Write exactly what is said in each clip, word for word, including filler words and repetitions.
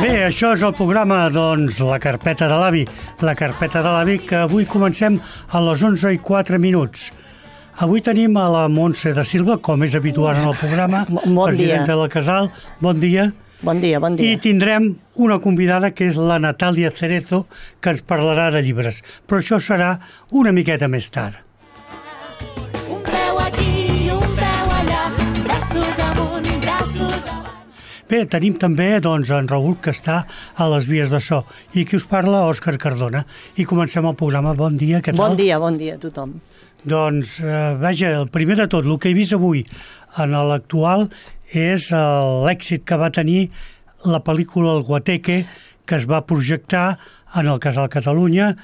Bé, això és el programa, doncs, La Carpeta de l'Avi. La Carpeta de l'Avi, que avui comencem a les onze i quatre minuts. Avui tenim a la Montse de Silva, com és habitual en el programa, bon presidenta dia. del Casal. Bon dia. Bon dia, bon dia. I tindrem una convidada que és la Natàlia Cerezo, que ens parlarà de llibres. Però això serà una miqueta més tard. Un peu aquí, un peu allà, braços amunt, braços avall. Bé, tenim també doncs, en Raül, que està a les vies de so, i qui us parla, Òscar Cardona. I comencem el programa. Bon dia, què tal? Bon dia, bon dia a tothom. Doncs, eh, vaja, el primer de tot, el que he vist avui en l'actual és eh, l'èxit que va tenir la pel·lícula El Guateque, que es va projectar en el Casal Catalunya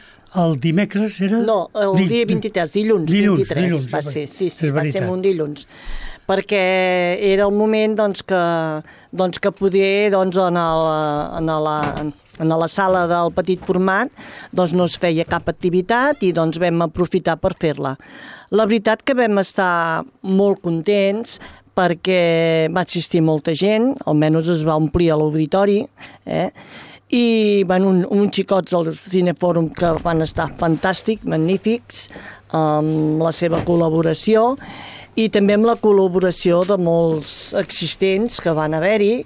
el dimecres, era? No, el Di- dia vint-i-tres, dilluns, dilluns, vint-i-tres, dilluns, va ser, sí, sí, és va ser veritat. un dilluns. Perquè era el moment doncs, que, doncs, que poder doncs, en, el, en, la, en la sala del petit format doncs, no es feia cap activitat i doncs, vam aprofitar per fer-la. La veritat que vam estar molt contents perquè va assistir molta gent, almenys es va omplir a l'auditori, eh? I bueno, un, uns xicots del Cinefòrum que van estar fantàstics, magnífics, amb la seva col·laboració i també amb la col·laboració de molts existents que van haver-hi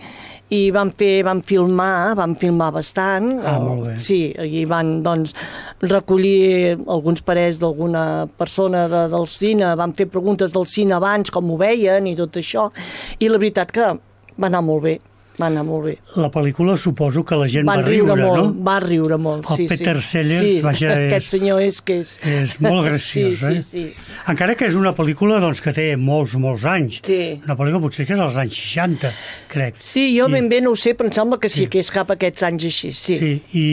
i van fer, van filmar, van filmar bastant. Ah, molt bé. Sí, i van doncs, recollir alguns parers d'alguna persona de, del cine, van fer preguntes del cine abans, com ho veien i tot això, i la veritat que va anar molt bé. Va anar molt bé. La pel·lícula suposo que la gent Van va riure, molt, no? Va riure molt, El sí, Peter sí. Sellers, sí, vaja, és- aquest senyor és que és... És molt graciós, sí, eh? Sí, sí, Encara que és una pel·lícula doncs, que té molts, molts anys. Sí. Una pel·lícula potser que és dels anys seixanta, crec. sí, jo I- ben bé no ho sé, però em sembla que sí, Sí. que és cap a aquests anys així, sí. Sí, i,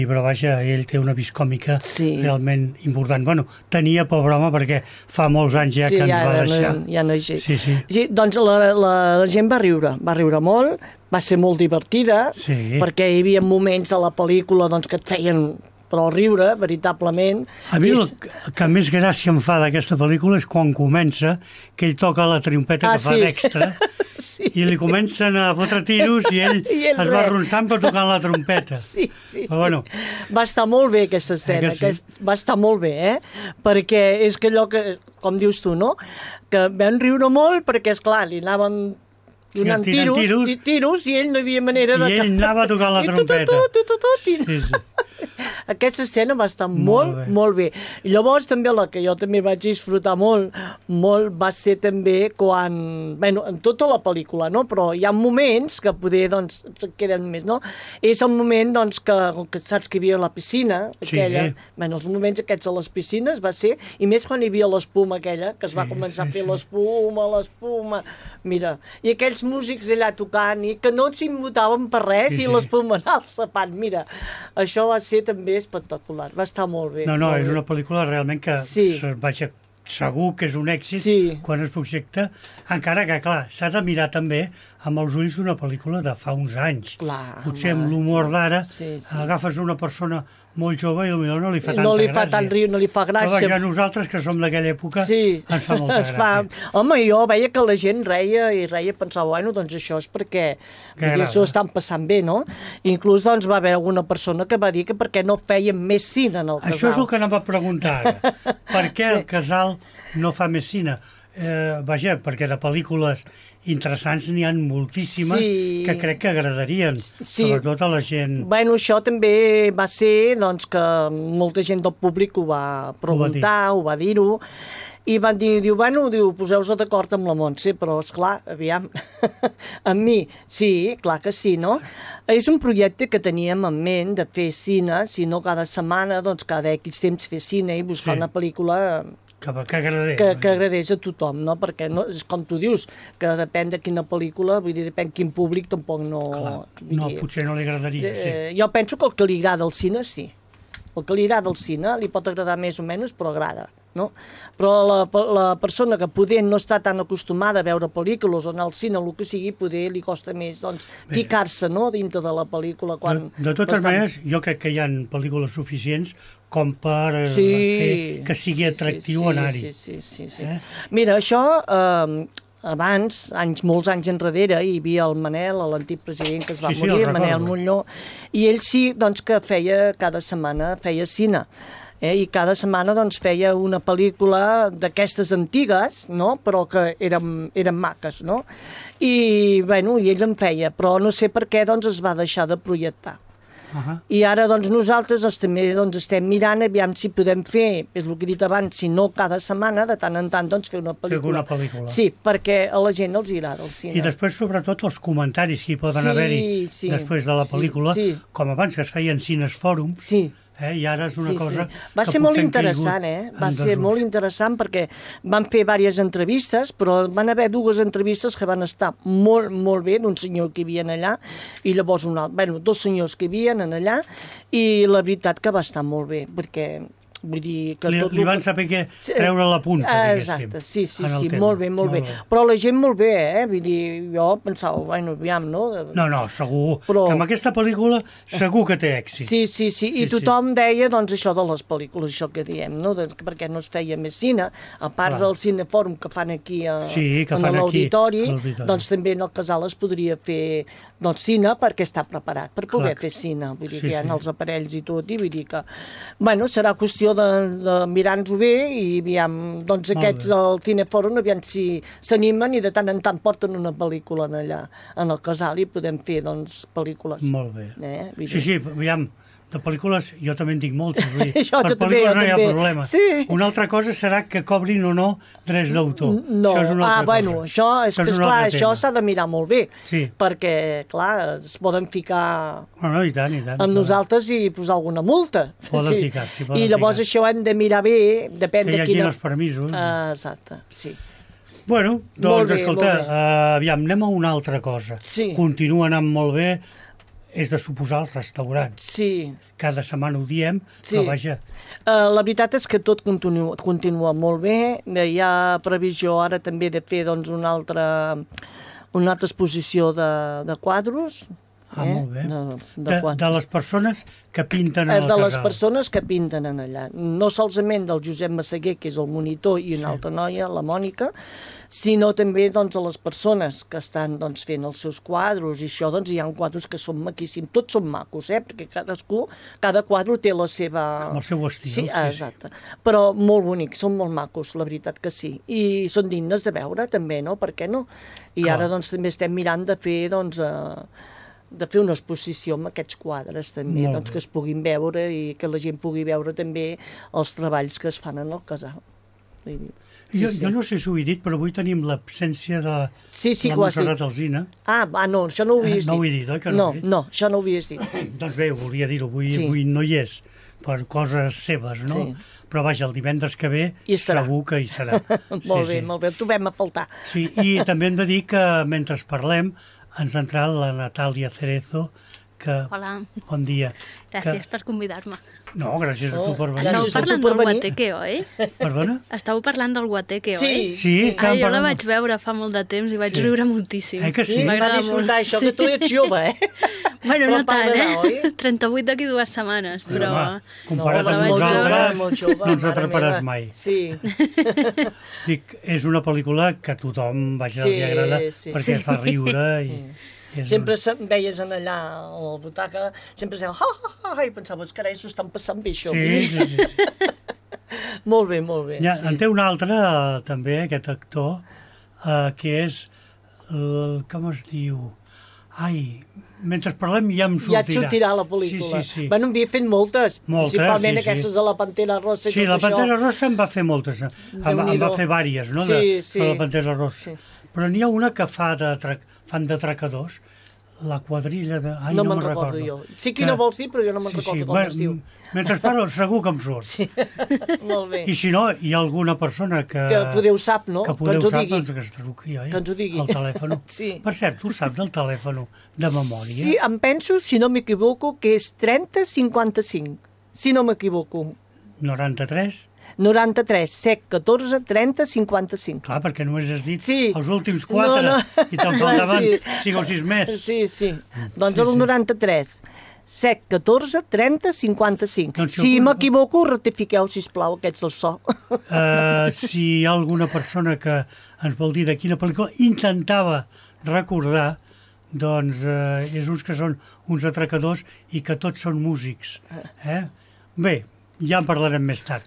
però vaja, ell té una vis còmica Sí. realment important. Bueno, tenia, pobre home, perquè fa molts anys ja Sí, que ens ja, va ja, deixar. no, ja no és així. Sí, sí. Sí, doncs la, la, la gent va riure, va riure molt, va ser molt divertida, Sí. perquè hi havia moments a la pel·lícula doncs, que et feien però riure, veritablement. A mi I- el que més gràcia em fa d'aquesta pel·lícula és quan comença, que ell toca la trompeta Ah, que fa sí. d'extra, Sí. i li comencen a fotre tiros i ell, I ell es va res. arronsant però tocant la trompeta. Sí, sí, Però bueno, sí. Va estar molt bé aquesta escena, Eh que sí? que va estar molt bé, eh? Perquè és que allò que, com dius tu, no? Que vam riure molt perquè, esclar, li anaven donant tirant tiros, tiros. tiros, tiros i ell no hi havia manera de... I ell anava tocant la I tu, tu, trompeta. tu, tu, tu, tu, i- Sí, sí. Aquesta escena va estar Molt molt, bé. molt bé. I llavors també la que jo també vaig disfrutar molt, molt va ser també quan, bueno, en tota la pel·lícula, no? Però hi ha moments que poder, doncs, queden més, no? És el moment, doncs, que, que saps que hi havia la piscina, Sí. aquella, bueno, els moments aquests a les piscines va ser, i més quan hi havia l'espuma aquella, que es va Sí, començar sí, a fer sí. l'espuma, l'espuma, mira, i aquells músics allà tocant, i que no s'immutaven per res, Sí, i sí. l'espuma anar al sapat, mira, això va ser també espectacular, va estar molt bé. No, no, molt és bé. una pel·lícula realment que Sí. se- vaja, segur que és un èxit Sí. quan es projecta, encara que, clar, s'ha de mirar també amb els ulls d'una pel·lícula de fa uns anys. Clar, Potser home. amb l'humor d'ara Sí, sí. agafes una persona molt jove i potser no li fa tanta No li gràcia. fa tant riu, no li fa Però gràcia. vaja, nosaltres, que som d'aquella època, Sí, ens fa molta es fa... gràcia. Home, jo veia que la gent reia i reia, pensava, bueno, doncs això és perquè Que vull dir, agrada. s'ho estan passant bé, no? Inclús doncs va haver alguna persona que va dir que perquè no feien més cine en el casal. Això és el que anava a preguntar ara. Per què el casal no fa més cine? Eh, vaja, perquè de pel·lícules interessants n'hi ha moltíssimes Sí. que crec que agradarien, Sí. sobretot a la gent. Bueno, això també va ser doncs, que molta gent del públic ho va preguntar, ho va dir-ho, i van dir, diu, bueno, diu, poseu-vos d'acord amb la Montse, però, esclar, aviam, amb mi, sí, clar que sí, no? És un projecte que teníem en ment de fer cine, si no cada setmana, doncs cada X temps fer cine i buscar Sí. una pel·lícula Que, que agradés. que, que agradés a tothom, no? Perquè no, és com tu dius, que depèn de quina pel·lícula, vull dir, depèn quin públic, tampoc no... Clar, vull no, dir, potser no li agradaria, sí. Eh, jo penso que el que li agrada al cine, sí. El que li agrada al cine li pot agradar més o menys, però agrada, no? Però la, la persona que poder no està tan acostumada a veure pel·lícules o anar al cine o el que sigui, poder li costa més doncs, ficar-se, no?, dintre de la pel·lícula. Quan De, de totes bastant- maneres, jo crec que hi ha pel·lícules suficients com per eh, Sí, fer que sigui sí, atractiu sí, anar-hi. Sí, sí, sí, sí. Eh? Mira, això... Eh, abans, anys, molts anys enrere, hi havia el Manel, l'antic president que es va Sí, sí, morir, el Manel recordo. Molló, i ell sí doncs, que feia cada setmana feia cine. Eh? I cada setmana doncs, feia una pel·lícula d'aquestes antigues, no? Però que eren, eren maques, no? I, bueno, i ell en feia, però no sé per què doncs, es va deixar de projectar. Uh -huh. I ara doncs, nosaltres doncs, també doncs, estem mirant aviam si podem fer, és el que he dit abans, si no cada setmana, de tant en tant doncs, fer una pel·lícula. Fer una pel·lícula. Sí, perquè a la gent els agrada el cine. I després, sobretot, els comentaris que hi poden Sí, haver-hi sí, després de la sí, pel·lícula, sí. com abans que es feien cines fòrum, Sí. eh? I ara és una Sí, cosa sí. Va que ser molt potser han interessant, caigut eh? Va en ser desús. molt interessant perquè van fer diverses entrevistes, però van haver dues entrevistes que van estar molt, molt bé, d'un senyor que hi havia allà, i llavors un altre, bueno, dos senyors que hi havia allà, i la veritat que va estar molt bé, perquè vull dir que Li, tot li el van que- saber què treure la punta, diguéssim. Exacte, sí, sí, en el sí, tema. molt bé, molt, bé. Però la gent molt bé, eh? Vull dir, jo pensava, bueno, aviam, no? No, no, segur. Però- Que amb aquesta pel·lícula segur que té èxit. Sí, sí, sí, i Sí, tothom deia, doncs, això de les pel·lícules, això que diem, no? De, perquè no es feia més cine, a part Clar. del cinefòrum que fan aquí a, Sí, que en fan aquí, l'auditori, a l'auditori. doncs també en el casal es podria fer doncs, cine perquè està preparat per poder Clar. fer cine, vull dir Sí, que hi ha sí. els aparells i tot, i vull dir que, bueno, serà qüestió de, de mirar-nos-ho bé i aviam, doncs Molt aquests bé. del cinefòrum, aviam si s'animen i de tant en tant porten una pel·lícula en allà, en el casal, i podem fer, doncs, pel·lícules. Molt bé. Eh? Vull Sí, dir- sí, aviam, de pel·lícules jo també en dic moltes. Vull dir, Això per jo també, pel·lícules jo no hi ha també. problema. Sí. Una altra cosa serà que cobrin o no drets d'autor. No, Això és una ah, altra bueno, cosa. això, és, Això que, un esclar, altre això tema. s'ha de mirar molt bé, Sí. perquè, clar, es poden ficar No, no, i tant, i tant. amb nosaltres i posar alguna multa. Poden ficar, sí, poden I llavors ficar. això hem de mirar bé, depèn Que de hi hagi quina... els permisos. Ah, exacte, sí. Bueno, Molt doncs, bé, escolta, molt bé. uh, aviam, anem a una altra cosa. Sí. Continua anant molt bé, és de suposar els restaurants. Sí, Cada setmana ho diem, Sí. però vaja, Uh, la veritat és que tot continua, continua molt bé. Eh, Hi ha previsió ara també de fer doncs, una, altra, una altra exposició de, de quadros. Ah, molt bé. De, de, de, quadres. de les persones que pinten Eh, en el de les casal. persones que pinten en allà. No solament del Josep Massaguer, que és el monitor, i una altra noia, la Mònica, sinó també doncs, a les persones que estan doncs, fent els seus quadros, i això doncs, hi ha quadros que són maquíssims. Tots són macos, eh? Perquè cadascú, cada quadre té la seva... Amb el seu estil, Sí, sí, sí. exacte. Però molt bonics, són molt macos, la veritat que sí. I són dignes de veure, també, no? Per què no? I Clar. ara doncs, també estem mirant de fer, doncs, eh, de fer una exposició amb aquests quadres també, Molt doncs, bé. que es puguin veure i que la gent pugui veure també els treballs que es fan en el casal. Vull dir, Jo, jo no sé si ho he dit, però avui tenim l'absència de Sí, sí, la que ho has dit. Montserrat Alsina. Ah, va, no, això no ho havies Eh, no dit. ho he dit, oi que no no ho he dit? No, això no ho havies dit. Doncs bé, volia dir-ho, avui, Sí. avui no hi és, per coses seves, no? Sí. Però vaja, el divendres que ve Hi estarà. segur que hi serà. molt sí, bé, sí. molt bé, el trobem a faltar. Sí, i també hem de dir que mentre parlem ens ha entrat la Natàlia Cerezo, que... Hola, Bon dia. gràcies Que... per convidar-me. No, gràcies a tu Oh, per venir. gràcies. Estàu a tu parlant per del venir. guateque, oi? Perdona? Estàu parlant del guateque, Sí. oi? Sí, estàvem Ah, jo la parlant- vaig veure fa molt de temps i vaig Sí. riure moltíssim. Eh que sí? Sí, va M'agrada disfrutar molt. això, que tu ets jove, eh? Bueno, Però no tant, parlarà, oi? eh? trenta-vuit d'aquí dues setmanes, Sí, però... home, comparat No, amb vaig molt veure- nosaltres, jove, molt jove, no ens mare atraparàs meva. mai. Sí, Dic, és una pel·lícula que a tothom, vaja, Sí, li agrada sí. perquè Sí. fa riure i... Sí. És sempre se- veies en allà a la butaca, sempre se'n ha, ha, ha, i pensaves, carai, s'ho estan passant bé, això. Sí, sí, sí. sí. Molt bé, molt bé. Ja, sí. en té un altre, eh, també, aquest actor, eh, que és... El, com es diu? Ai, mentre parlem ja em Ja et sortirà. sortirà la pel·lícula. Sí, sí, sí. Bueno, en havia fet moltes, Moltes, principalment sí, sí. aquestes de la Pantera Rossa i Sí, tot la això. Pantera Rossa en va fer moltes. En, en va Déu-n'hi-do. fer vàries, no? Sí, de, sí. de la Pantera Rossa. Sí. Però n'hi ha una que fa de tra... fan de tracadors, la quadrilla de... Ai, no no, me'n me'n recordo recordo. jo. Sí que no vols dir, però jo no me'n Sí, recordo sí, com bueno, es diu. Mentre parlo, segur que em surt. Sí, molt bé. I si no, hi ha alguna persona que... Que podeu sap, no? Que Que podeu ens ho sap, digui. doncs que es truqui, oi? Que ens ho digui. El telèfon. Sí. Per cert, tu saps el telèfon de memòria? Sí, em penso, si no m'equivoco, que és trenta cinquanta-cinc, si no m'equivoco. noranta-tres? noranta-tres, set, catorze, trenta, cinquanta-cinc. Clar, perquè només has dit Sí. els últims quatre No, no. i te'n faltaven Sí. cinc o sis més. Sí, sí. Doncs Sí, el sí. noranta-tres, set, catorze, trenta, cinquanta-cinc. Doncs si Si algú- m'equivoco, rectifiqueu, sisplau, aquests del so. Uh, si hi ha alguna persona que ens vol dir de quina pel·lícula intentava recordar, doncs uh, és uns que són uns atracadors i que tots són músics. Eh? Bé, ja en parlarem més tard.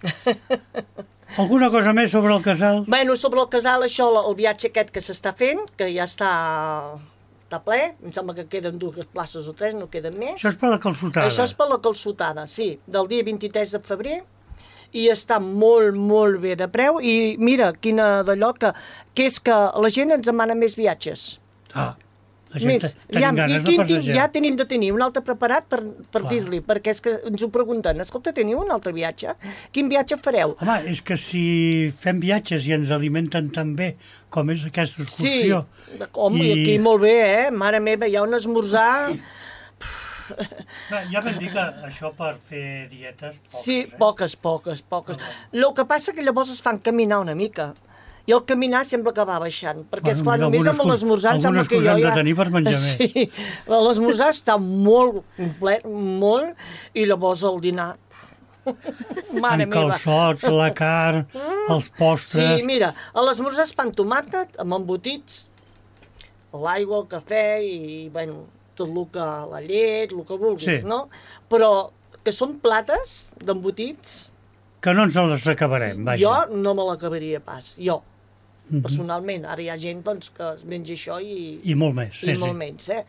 Alguna cosa més sobre el casal? Bueno, sobre el casal, això, el viatge aquest que s'està fent, que ja està, està ple, em sembla que queden dues places o tres, no queden més. Això és per la calçotada. Això és per la calçotada, sí, del dia vint-i-tres de febrer, i està molt, molt bé de preu, i mira, quina d'allò que, que és que la gent ens demana més viatges. Ah, la gent Més, te- tenim ja, i ganes de quin, tin- passejar. ja tenim de tenir un altre preparat per, per Clar. dir-li, perquè és que ens ho pregunten, escolta, teniu un altre viatge? Quin viatge fareu? Home, és que si fem viatges i ens alimenten tan bé com és aquesta Sí, excursió... home, i I- aquí molt bé, eh? Mare meva, hi ha un esmorzar... No, ja vam dir que això per fer dietes... Poques, Sí, eh? poques, poques, poques. El que passa que llavors es fan caminar una mica. I el caminar sembla que va baixant, perquè, Bueno, esclar, mira, només alguna amb l'esmorzar em alguna sembla que jo excusa hem ja... de tenir per menjar més. Sí, l'esmorzar està molt complet, molt, i llavors el dinar... Mare Amb meva. calçots, la carn, els postres... Sí, mira, a l'esmorzar es fan tomàquet amb embotits, l'aigua, el cafè i, bueno, tot el que... la llet, el que vulguis, Sí. no? Però que són plates d'embotits, Que no ens les acabarem, vaja. jo no me l'acabaria pas, jo, Mhm. personalment. Ara hi ha gent doncs, que es menja això i, I molt més, sí, i sí. molt menys, eh?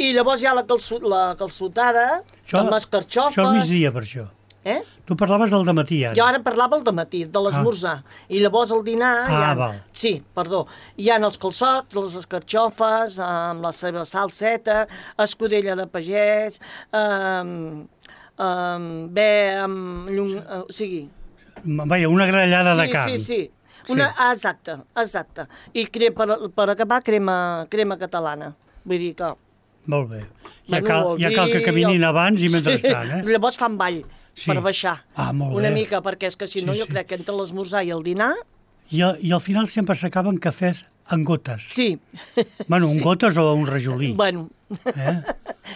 I llavors hi ha la, calço, la calçotada, Això, amb les carxofes... això al migdia, per això. Eh? Tu parlaves del dematí, ara. Jo ara parlava el dematí, de l'esmorzar. I llavors al dinar... Ah, hi ha, val. Sí, perdó. Hi ha els calçots, les escarxofes, amb la seva salseta, escudella de pagès, um, um, bé, amb llum... Uh, o sigui... Vaja, una grellada de Sí, carn. sí, sí. Una, Sí. ah, exacte, exacte. I cre, per, per acabar, crema, crema catalana. Vull dir que... Molt bé. Ja, Bueno, cal, el ja cal que vi, caminin el- abans i mentrestant, eh? Llavors fan ball, Sí. per baixar. Ah, molt Una bé. mica, perquè és que si no Sí, jo sí. crec que entre l'esmorzar i el dinar... I, a- I al final sempre s'acaben cafès en gotes. Sí. Bueno, un gotes o un rajolí. Bueno, Eh?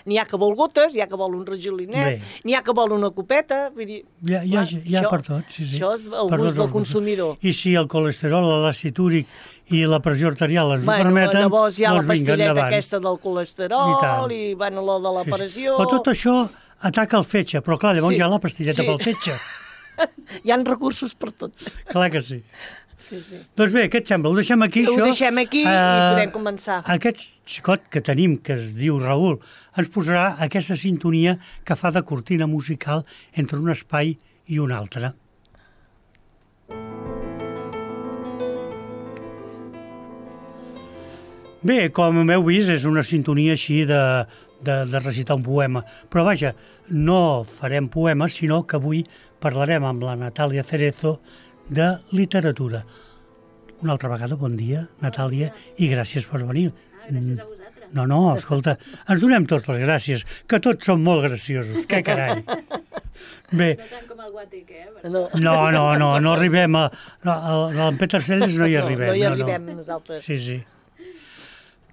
n'hi ha que vol gotes, n'hi ha que vol un rajolinet, Bé. n'hi ha que vol una copeta, vull dir... Hi ha, hi ha, clar, hi ha això- per tot, sí, sí. Això és el Per gust tots del els gustos. consumidor. I si el colesterol, l'àcid úric i la pressió arterial ens Bueno, ho permeten, llavors hi ha doncs la vinga, pastilleta endavant. aquesta del I colesterol tant. i, bueno, la de la Sí, sí. pressió... Però tot això ataca el fetge, però clar, llavors Sí, hi ha la pastilleta sí. pel fetge. Hi ha recursos per tot. Clar que sí. Sí, sí. Doncs bé, què et sembla? Ho deixem aquí, Ho això? deixem aquí i Eh, podem començar. Aquest xicot que tenim, que es diu Raül, ens posarà aquesta sintonia que fa de cortina musical entre un espai i un altre. Bé, com heu vist, és una sintonia així de, de, de recitar un poema. Però vaja, no farem poemes, sinó que avui parlarem amb la Natàlia Cerezo de literatura. Una altra vegada, bon dia, Natàlia, i gràcies per venir. Ah, gràcies a vosaltres. No, no, escolta, ens donem tots les gràcies, que tots som molt graciosos, que carai. Bé, No tant com el Guateque, eh? Per No, no, no, no, no arribem a... No, a en Peter Sellers no hi arribem. No, no hi arribem nosaltres. Sí, sí.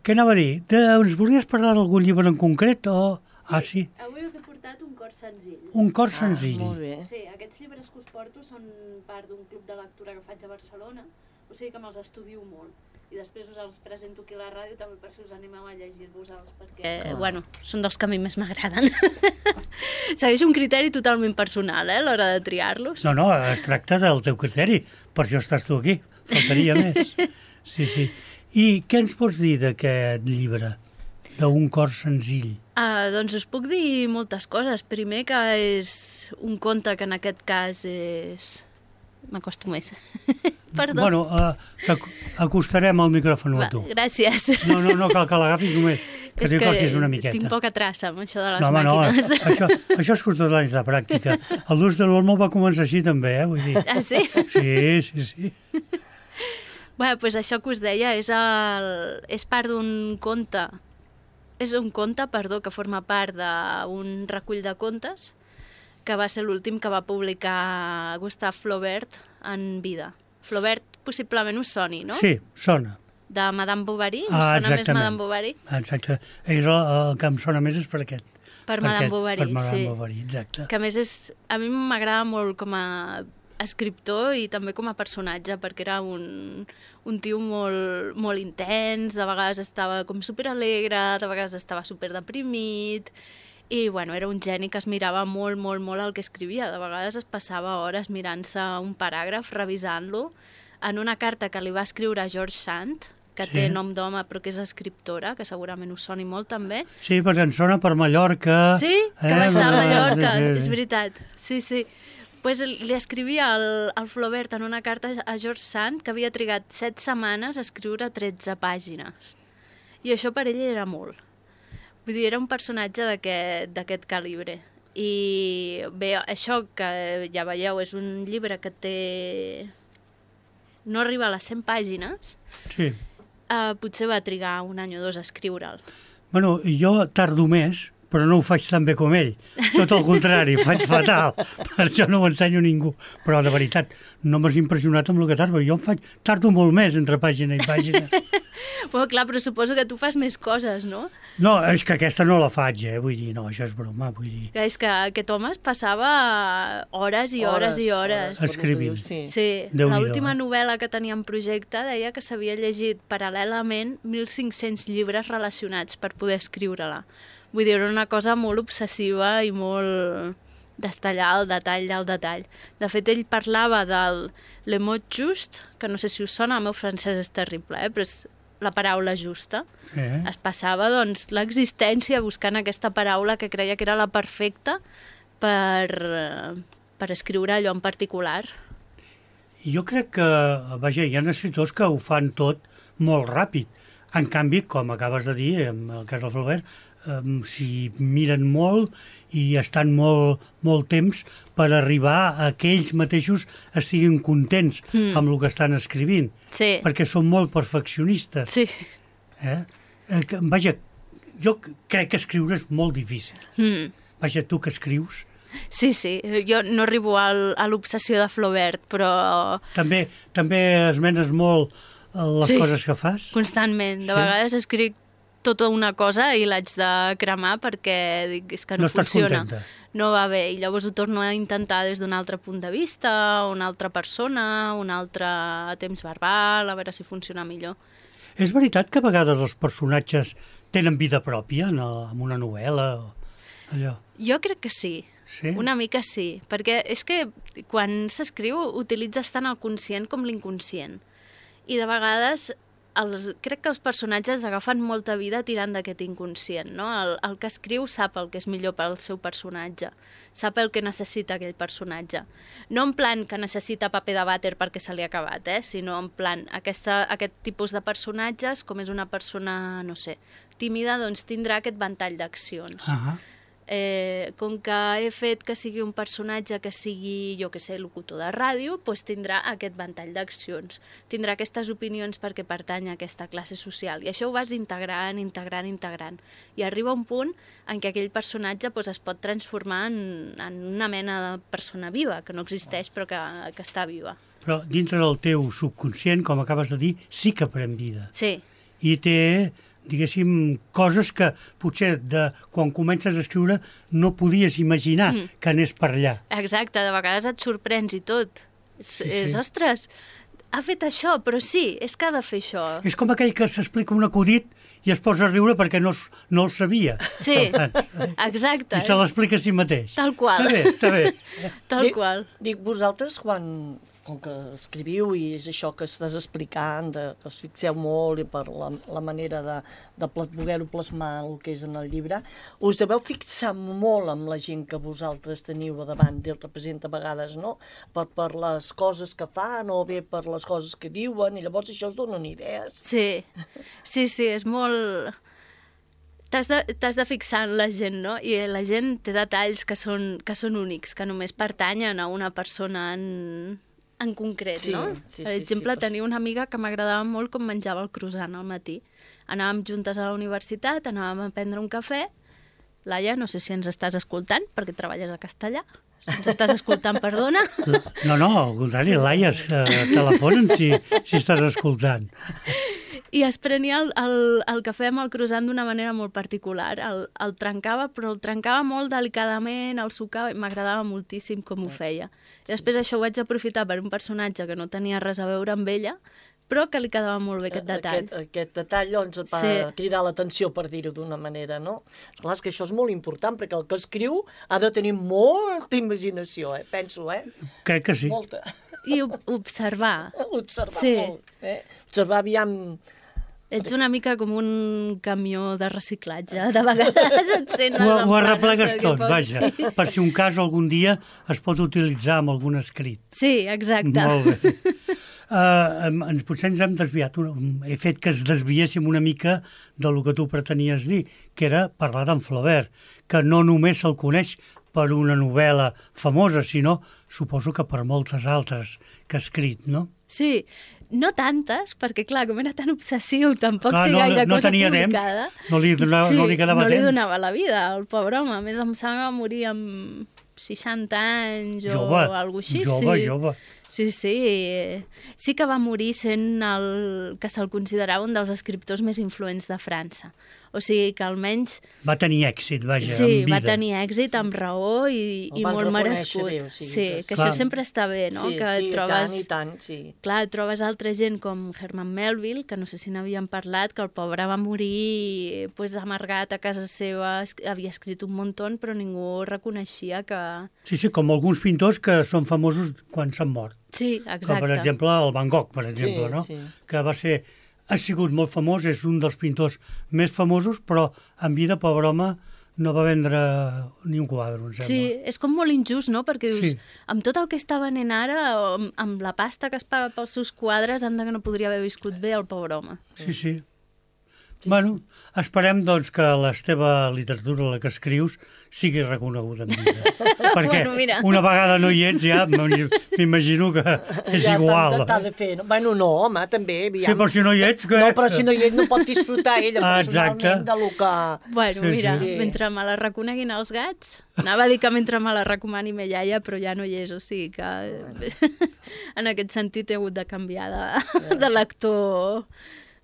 Què anava a dir? De, ens volies parlar d'algun llibre en concret o... Ah, sí, Avui us he portat un cor senzill. un cor senzill. Molt bé. Sí, aquests llibres que us porto són part d'un club de lectura que faig a Barcelona, o sigui que me'ls estudio molt. I després us els presento aquí a la ràdio també per si us animeu a llegir-vos-els, perquè, Clar. bueno, són dels que a mi més m'agraden. Segueixo un criteri totalment personal, eh, a l'hora de triar-los. No, no, es tracta del teu criteri, per això estàs tu aquí, faltaria més. Sí, sí. I què ens pots dir d'aquest llibre, d'un cor senzill? Ah, doncs us puc dir moltes coses. Primer que és un conte que en aquest cas és... M'acosto més. Perdó. Bueno, uh, acostarem el micròfon a Va, tu. gràcies. No, no, no cal que l'agafis només, que És t'hi que acostis una miqueta. tinc poca traça amb això de les No, home, no, màquines. això, això és costat d'anys de pràctica. El Luz de l'Olmo va començar així també, eh, vull dir. Ah, sí? Sí, sí, sí. Bé, doncs això que us deia és, el... és part d'un conte. És un conte, perdó, que forma part d'un recull de contes que va ser l'últim que va publicar Gustave Flaubert en vida. Flaubert possiblement us soni, no? Sí, sona. De Madame Bovary? Us Ah, sona més exactament. Madame Bovary? Exacte. És el, el que em sona més és per aquest. Per Madame aquest, Bovary, per Madame sí. Bovary, exacte. Que a més és, a mi m'agrada molt com a escriptor i també com a personatge, perquè era un, un tio molt, molt intens, de vegades estava com superalegre, de vegades estava superdeprimit, i bueno, era un geni que es mirava molt, molt, molt el que escrivia. De vegades es passava hores mirant-se un paràgraf, revisant-lo, en una carta que li va escriure a George Sand, que Sí. té nom d'home però que és escriptora, que segurament us soni molt també. Sí, perquè em sona per Mallorca. Sí, que va estar a Eh, Mallorca, sí, sí, sí. és veritat. Sí, sí. Pues li escrivia al, al Flaubert en una carta a George Sand que havia trigat set setmanes a escriure tretze pàgines. I això per ell era molt. Vull dir, era un personatge d'aquest d'aquest calibre. I bé, això que ja veieu és un llibre que té... no arriba a les cent pàgines, Sí. uh, potser va trigar un any o dos a escriure'l. Bueno, jo tardo més, però no ho faig tan bé com ell. Tot el contrari, ho faig fatal. Per això no ho ensenyo a ningú. Però, de veritat, no m'has impressionat amb el que tardo. Jo em faig, tardo molt més entre pàgina i pàgina. Bueno, clar, però suposo que tu fas més coses, no? No, és que aquesta no la faig, eh? Vull dir, no, això és broma, vull dir... Clar, és que aquest home es passava hores i hores, i hores. com es Escrivint. diu, Sí. Sí, Déu-n'hi-do, l'última eh? novel·la que tenia en projecte deia que s'havia llegit paral·lelament mil cinc-cents llibres relacionats per poder escriure-la. Vull dir, era una cosa molt obsessiva i molt d'estallar el detall del detall. De fet, ell parlava del le mot just, que no sé si us sona, el meu francès és terrible, eh? Però és la paraula justa. Sí, eh? Es passava doncs, l'existència buscant aquesta paraula que creia que era la perfecta per, eh, per escriure allò en particular. Jo crec que, vaja, hi ha escriptors que ho fan tot molt ràpid. En canvi, com acabes de dir, en el cas del Flaubert, eh, s'hi miren molt i estan molt, molt temps per arribar a que ells mateixos estiguin contents Mm. amb el que estan escrivint, Sí, perquè són molt perfeccionistes. sí. Eh? Eh, que, vaja, jo crec que escriure és molt difícil. Mm. Vaja, tu que escrius, Sí, sí, jo no arribo al, a l'obsessió de Flaubert, però també, també esmenes molt eh, les Sí. coses que fas. constantment. De Sí. vegades escric tota una cosa i l'haig de cremar perquè dic, és que no, No estàs funciona. contenta. No va bé, i llavors ho torno a intentar des d'un altre punt de vista, una altra persona, un altre temps verbal, a veure si funciona millor. És veritat que a vegades els personatges tenen vida pròpia en, el, en una novel·la o allò? Jo crec que sí. Sí? Una mica sí, perquè és que quan s'escriu utilitzes tant el conscient com l'inconscient. I de vegades els, crec que els personatges agafen molta vida tirant d'aquest inconscient, no? El, el que escriu sap el que és millor per al seu personatge, sap el que necessita aquell personatge. No en plan que necessita paper de vàter perquè se li ha acabat, eh? Sinó en plan aquesta, aquest tipus de personatges, com és una persona, no sé, tímida, doncs tindrà aquest ventall d'accions. Ah, Eh, com que he fet que sigui un personatge que sigui, jo que sé, locutor de ràdio, doncs tindrà aquest ventall d'accions. Tindrà aquestes opinions perquè pertany a aquesta classe social. I això ho vas integrant, integrant, integrant. I arriba un punt en què aquell personatge doncs, es pot transformar en, en una mena de persona viva, que no existeix però que, que està viva. però dintre del teu subconscient, com acabes de dir, sí que pren vida. Sí, I té, diguéssim, coses que potser de, quan comences a escriure no podies imaginar Mm. que anés per allà. exacte, de vegades et sorprens i tot. És, Sí, és sí. ostres, ha fet això, però sí, és que ha de fer això. És com aquell que s'explica un acudit i es posa a riure perquè no, es- no el sabia. Sí, exacte. I se l'explica a si mateix. Tal qual. Està bé, està bé. Tal Dic- qual. Dic, vosaltres, quan, com que escriviu i és això que estàs explicant, de, que us fixeu molt i per la, la manera de, de pla- voler-ho plasmar el que és en el llibre, us deveu fixar molt amb la gent que vosaltres teniu a davant i el representa a vegades, no? Per, per les coses que fan o bé per les coses que diuen, i llavors això us donen idees. Sí, sí, sí, és molt... T'has de, t'has de fixar en la gent, no? I la gent té detalls que són, que són únics, que només pertanyen a una persona en, en concret, Sí, no? sí, per sí, exemple, sí, tenia una amiga que m'agradava molt com menjava el croissant al matí. Anàvem juntes a la universitat, anàvem a prendre un cafè. Laia, no sé si ens estàs escoltant, perquè treballes a Castellà. Si ens estàs escoltant, perdona. No, no, al contrari, Laia, eh, telefonen si, si estàs escoltant. I es prenia el, el, el cafè amb el croissant d'una manera molt particular. El, el trencava, però el trencava molt delicadament, el sucava, i m'agradava moltíssim com ho feia. I després això ho vaig aprofitar per un personatge que no tenia res a veure amb ella, però que li quedava molt bé aquest detall. Aquest, aquest detall doncs, va sí. cridar l'atenció, per dir-ho d'una manera, no? Clar, és que això és molt important, perquè el que escriu ha de tenir molta imaginació, eh? Penso, eh? Crec que sí. Molta. I observar. Observar sí. molt, eh? Observar, aviam... Ets una mica com un camió de reciclatge. De vegades et sent... Ho, ho arreplegues tot, vaja. Sí. Per si un cas algun dia es pot utilitzar amb algun escrit. Sí, exacte. Molt bé. Uh, ens, potser ens hem desviat. He fet que es desviéssim una mica del que tu pretenies dir, que era parlar d'en Flaubert, que no només se'l coneix per una novel·la famosa, sinó suposo que per moltes altres que ha escrit, no? Sí, no tantes, perquè clar, com era tan obsessiu, tampoc clar, té no, gaire no cosa tenia publicada. Temps, no li, donava, sí, no li quedava no temps. No li donava la vida, el pobre home. A més, em sembla que morir amb seixanta anys o jove, alguna cosa així. Jove, sí. jove. Sí, sí. Sí que va morir sent el que se'l considerava un dels escriptors més influents de França. O sigui que almenys... Va tenir èxit, vaja, sí, en vida. va tenir èxit amb raó i, i molt merescut. Bé, o sigui, sí, que, que això sempre està bé, no? Sí, que sí, trobes, i tant, i tant, sí. Clar, trobes altra gent com Herman Melville, que no sé si n'havíem parlat, que el pobre va morir pues, amargat a casa seva, havia escrit un muntó, però ningú reconeixia que... Sí, sí, com alguns pintors que són famosos quan s'han mort. Sí, exacte. Com, per exemple, el Van Gogh, per exemple, sí, no? Sí. Que va ser... Ha sigut molt famós, és un dels pintors més famosos, però en vida, pobre home, no va vendre ni un quadre, em sembla. Sí, és com molt injust, no? Perquè dius, sí. amb tot el que està venent ara, amb, amb la pasta que es paga pels seus quadres, anda que no podria haver viscut bé el pobre home. Sí, sí. Sí, bueno, sí. Esperem doncs que la teva literatura, la que escrius, sigui reconeguda en vida. Perquè bueno, una vegada no hi ets, ja m'imagino que és ja igual. Ja t'ha de fer. No? Bueno, no, home, també. Aviam. Sí, però si no hi ets... Que... No, però si no hi ets no pot disfrutar ella personalment de lo que... Bueno, sí, mira, sí. mentre me la reconeguin els gats... Anava a dir que mentre me la recomani me iaia, però ja no hi és, o sigui que en aquest sentit he hagut de canviar de, de l'actor...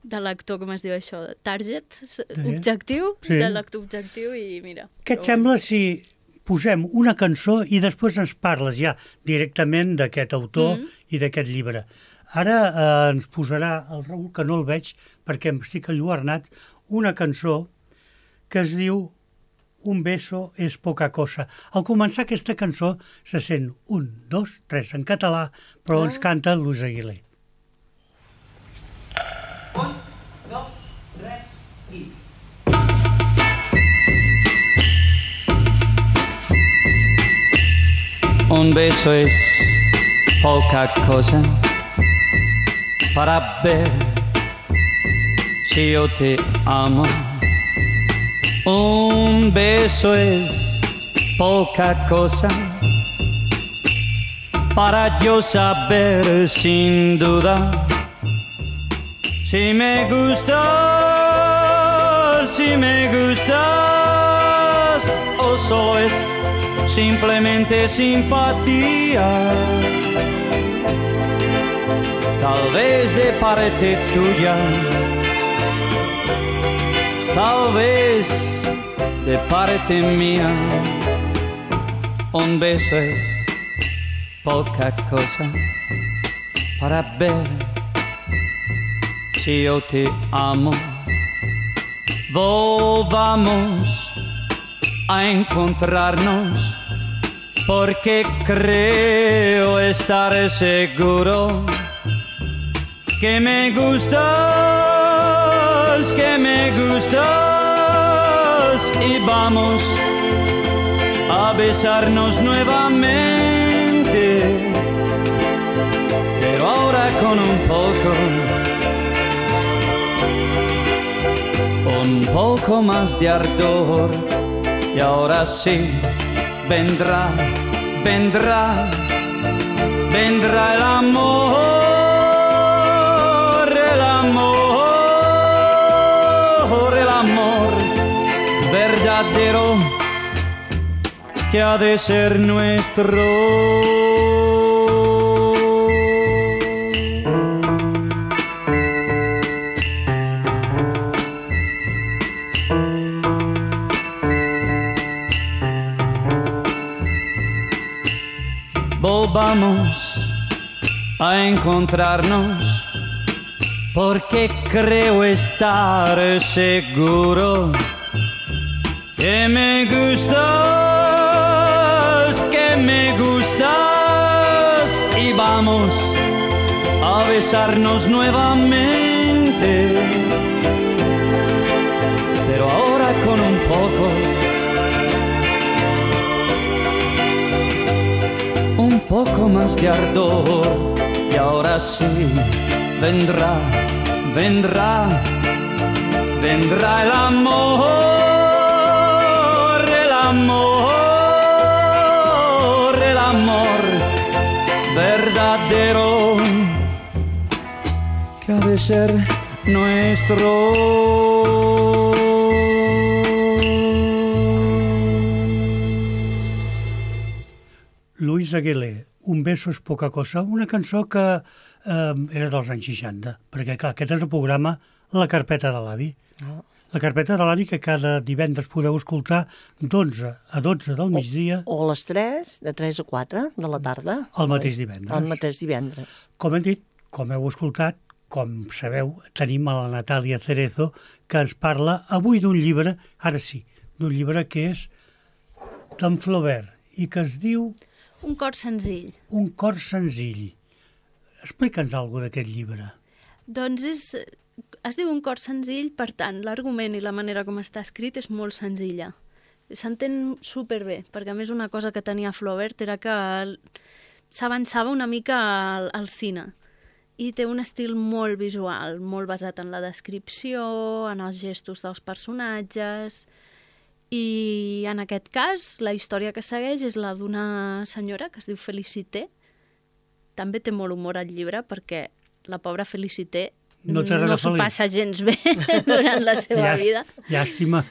de l'actor, com es diu això, target, sí. objectiu, sí. de l'actor objectiu i mira. Què et sembla si posem una cançó i després ens parles ja directament d'aquest autor mm. i d'aquest llibre? Ara eh, ens posarà el Raül, que no el veig perquè em estic enlluernat, una cançó que es diu Un beso es poca cosa. Al començar aquesta cançó se sent un, dos, tres en català, però ah. ens canta Luis Aguilé. Un, dos, tres y... Un beso es poca cosa para ver si yo te amo. Un beso es poca cosa para yo saber sin duda si me gustas, si me gustas, o solo es simplemente simpatía. Tal vez de parte tuya, tal vez de parte mía. Un beso es poca cosa para ver si yo te amo. Volvamos a encontrarnos porque creo estar seguro que me gustas, que me gustas y vamos a besarnos nuevamente, pero ahora con un poco un poco más de ardor. Y ahora sí vendrá, vendrá, vendrá el amor, el amor, el amor verdadero que ha de ser nuestro. Volvamos a encontrarnos, porque creo estar seguro que me gustas, que me gustas, y vamos a besarnos nuevamente, pero ahora con un poco, un poco más de ardor, y ahora sí vendrá, vendrá, vendrá el amor, el amor, el amor verdadero que ha de ser nuestro. Luis Aguilé, Un beso és poca cosa, una cançó que eh, era dels anys seixanta, perquè clar, aquest és el programa La Carpeta de l'Avi. Oh. La Carpeta de l'Avi, que cada divendres podeu escoltar d'onze a dotze del migdia. O, o a les tres, de tres a quatre de la tarda. El mateix divendres. El mateix divendres. Com hem dit, com heu escoltat, com sabeu, tenim a la Natàlia Cerezo, que ens parla avui d'un llibre, ara sí, d'un llibre que és d'en Flaubert i que es diu... Un cor senzill. Un cor senzill. Explica'ns alguna cosa d'aquest llibre. Doncs és, es diu Un cor senzill, per tant, l'argument i la manera com està escrit és molt senzilla. S'entén superbé, perquè a més una cosa que tenia Flaubert era que s'avançava una mica al, al cine i té un estil molt visual, molt basat en la descripció, en els gestos dels personatges. I en aquest cas, la història que segueix és la d'una senyora que es diu Felicité. També té molt humor al llibre perquè la pobra Felicité no, no s'ho passa gens bé durant la seva Llàst, vida. Llàstima.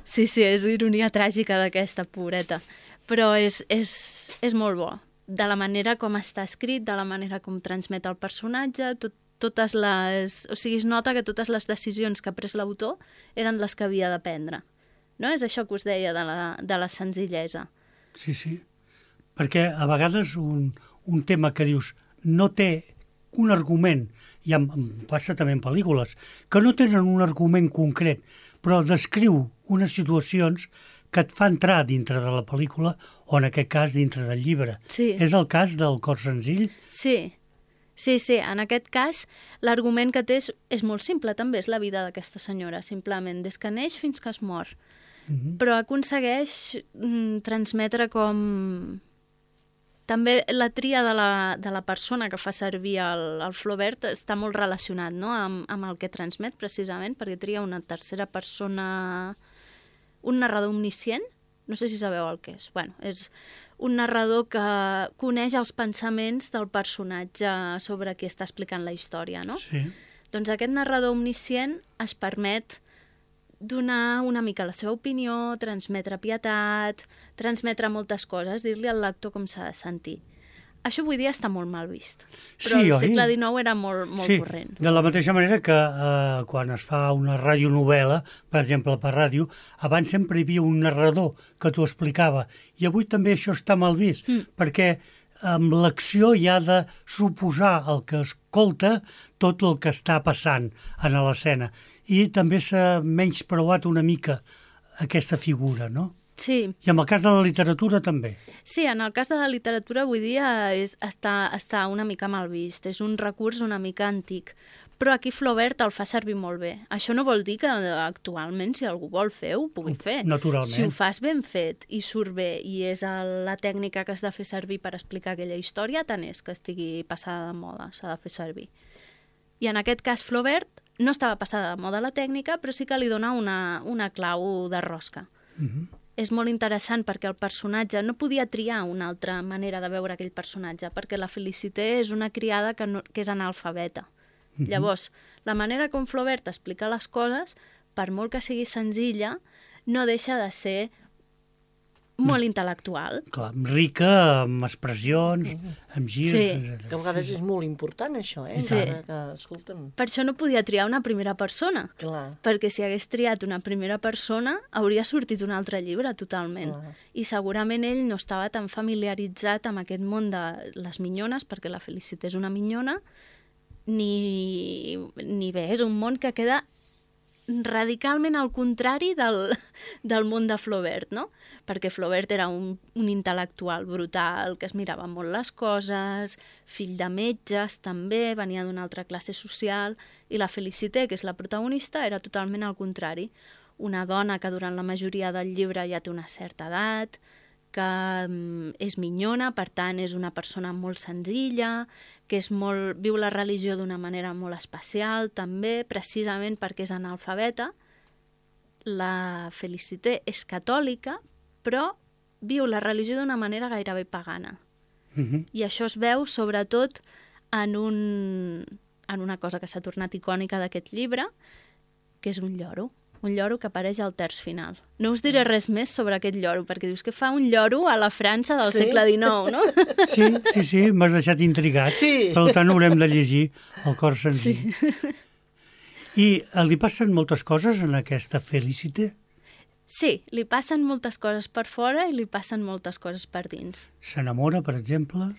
Sí, sí, és ironia tràgica d'aquesta pobreta. Però és, és, és molt bo. De la manera com està escrit, de la manera com transmet el personatge, tot, totes les... O sigui, es nota que totes les decisions que ha pres l'autor eren les que havia de prendre. No? És això que us deia de la, de la senzillesa. Sí, sí. Perquè a vegades un, un tema que dius no té un argument, i em, em passa també en pel·lícules, que no tenen un argument concret, però descriu unes situacions que et fa entrar dintre de la pel·lícula o, en aquest cas, dintre del llibre. Sí. És el cas del Cor senzill? Sí, sí, sí. En aquest cas, l'argument que té és, és molt simple, també és la vida d'aquesta senyora, simplement, des que neix fins que es mor. Mm-hmm. Però aconsegueix mm, transmetre com... També la tria de la, de la persona que fa servir el, el Flaubert està molt relacionat, no?, amb, amb el que transmet, precisament, perquè tria una tercera persona... Un narrador omniscient, no sé si sabeu el que és. Bueno, és un narrador que coneix els pensaments del personatge sobre qui està explicant la història, no? Sí. Doncs aquest narrador omniscient es permet donar una mica la seva opinió, transmetre pietat, transmetre moltes coses, dir-li al lector com s'ha de sentir. Això avui dia està molt mal vist, però Sí, al oi? segle dinou era molt, molt Sí, corrent. de la mateixa manera que eh, quan es fa una radionovel·la, per exemple, per ràdio, abans sempre hi havia un narrador que t'ho explicava, i avui també això està mal vist, Mm. perquè amb l'acció hi ha de suposar el que escolta tot el que està passant en l'escena, i també s'ha menyspreuat una mica aquesta figura, no? Sí, I en el cas de la literatura també. sí, en el cas de la literatura avui dia és, està, està una mica mal vist, és un recurs una mica antic, però aquí Flaubert el fa servir molt bé. Això no vol dir que actualment, si algú vol fer, ho pugui fer. Naturalment. Si ho fas ben fet i surt bé i és el, la tècnica que has de fer servir per explicar aquella història, tant és que estigui passada de moda, s'ha de fer servir. I en aquest cas Flaubert no estava passada de moda la tècnica, però sí que li dona una, una clau de rosca. Mhm. És molt interessant perquè el personatge no podia triar una altra manera de veure aquell personatge, perquè la Felicité és una criada que, no, que és analfabeta. Mm-hmm. Llavors, la manera com Flaubert explica les coses, per molt que sigui senzilla, no deixa de ser molt intel·lectual. Clar, rica, amb expressions, amb girs... Sí. etcètera. Que a vegades és molt important, això, eh? Sí. Encara que, escolta'm, Per això no podia triar una primera persona, clar, perquè si hagués triat una primera persona hauria sortit un altre llibre totalment. Clar. I segurament ell no estava tan familiaritzat amb aquest món de les minyones, perquè la Felicité és una minyona, ni, ni bé, és un món que queda radicalment al contrari del, del món de Flaubert, no? Perquè Flaubert era un, un intel·lectual brutal, que es mirava molt les coses, fill de metges també, venia d'una altra classe social, i la Felicité, que és la protagonista, era totalment al contrari. Una dona que durant la majoria del llibre ja té una certa edat, que mm, és minyona, per tant és una persona molt senzilla, que és molt, viu la religió d'una manera molt especial, també, precisament perquè és analfabeta. La Felicité és catòlica, però viu la religió d'una manera gairebé pagana. Mhm. I això es veu sobretot en, un, en una cosa que s'ha tornat icònica d'aquest llibre, que és un lloro. Un lloro que apareix al terç final. No us diré res més sobre aquest lloro, perquè dius que fa un lloro a la França del Sí? segle dinou, no? Sí, sí, sí, m'has deixat intrigat. Sí. Per tant, haurem de llegir el cor senzill. Sí. I eh, li passen moltes coses en aquesta Felicité? Sí, li passen moltes coses per fora i li passen moltes coses per dins. S'enamora, per exemple?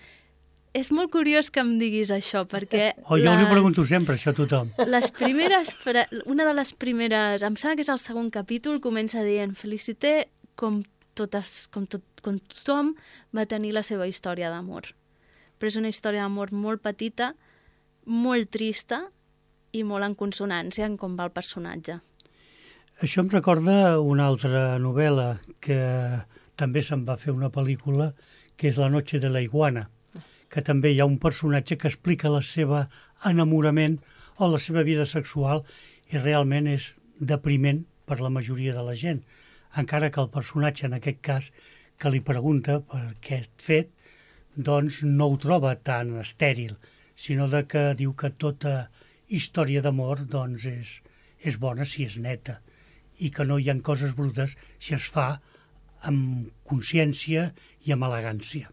És molt curiós que em diguis això, perquè... O jo les... us ho pregunto sempre, això a tothom. Les primeres, fra- una de les primeres, em sembla que és el segon capítol, comença dient Felicité, com, totes, com, tot, com tothom, va tenir la seva història d'amor. Però és una història d'amor molt petita, molt trista i molt en consonància en com va el personatge. Això em recorda una altra novel·la que també se'n va fer una pel·lícula, que és La noche de la iguana, que també hi ha un personatge que explica la seva enamorament o la seva vida sexual i realment és depriment per la majoria de la gent. Encara que el personatge, en aquest cas, que li pregunta per aquest fet, doncs no ho troba tan estèril, sinó de que diu que tota història d'amor doncs és, és bona si és neta i que no hi ha coses brutes si es fa amb consciència i amb elegància.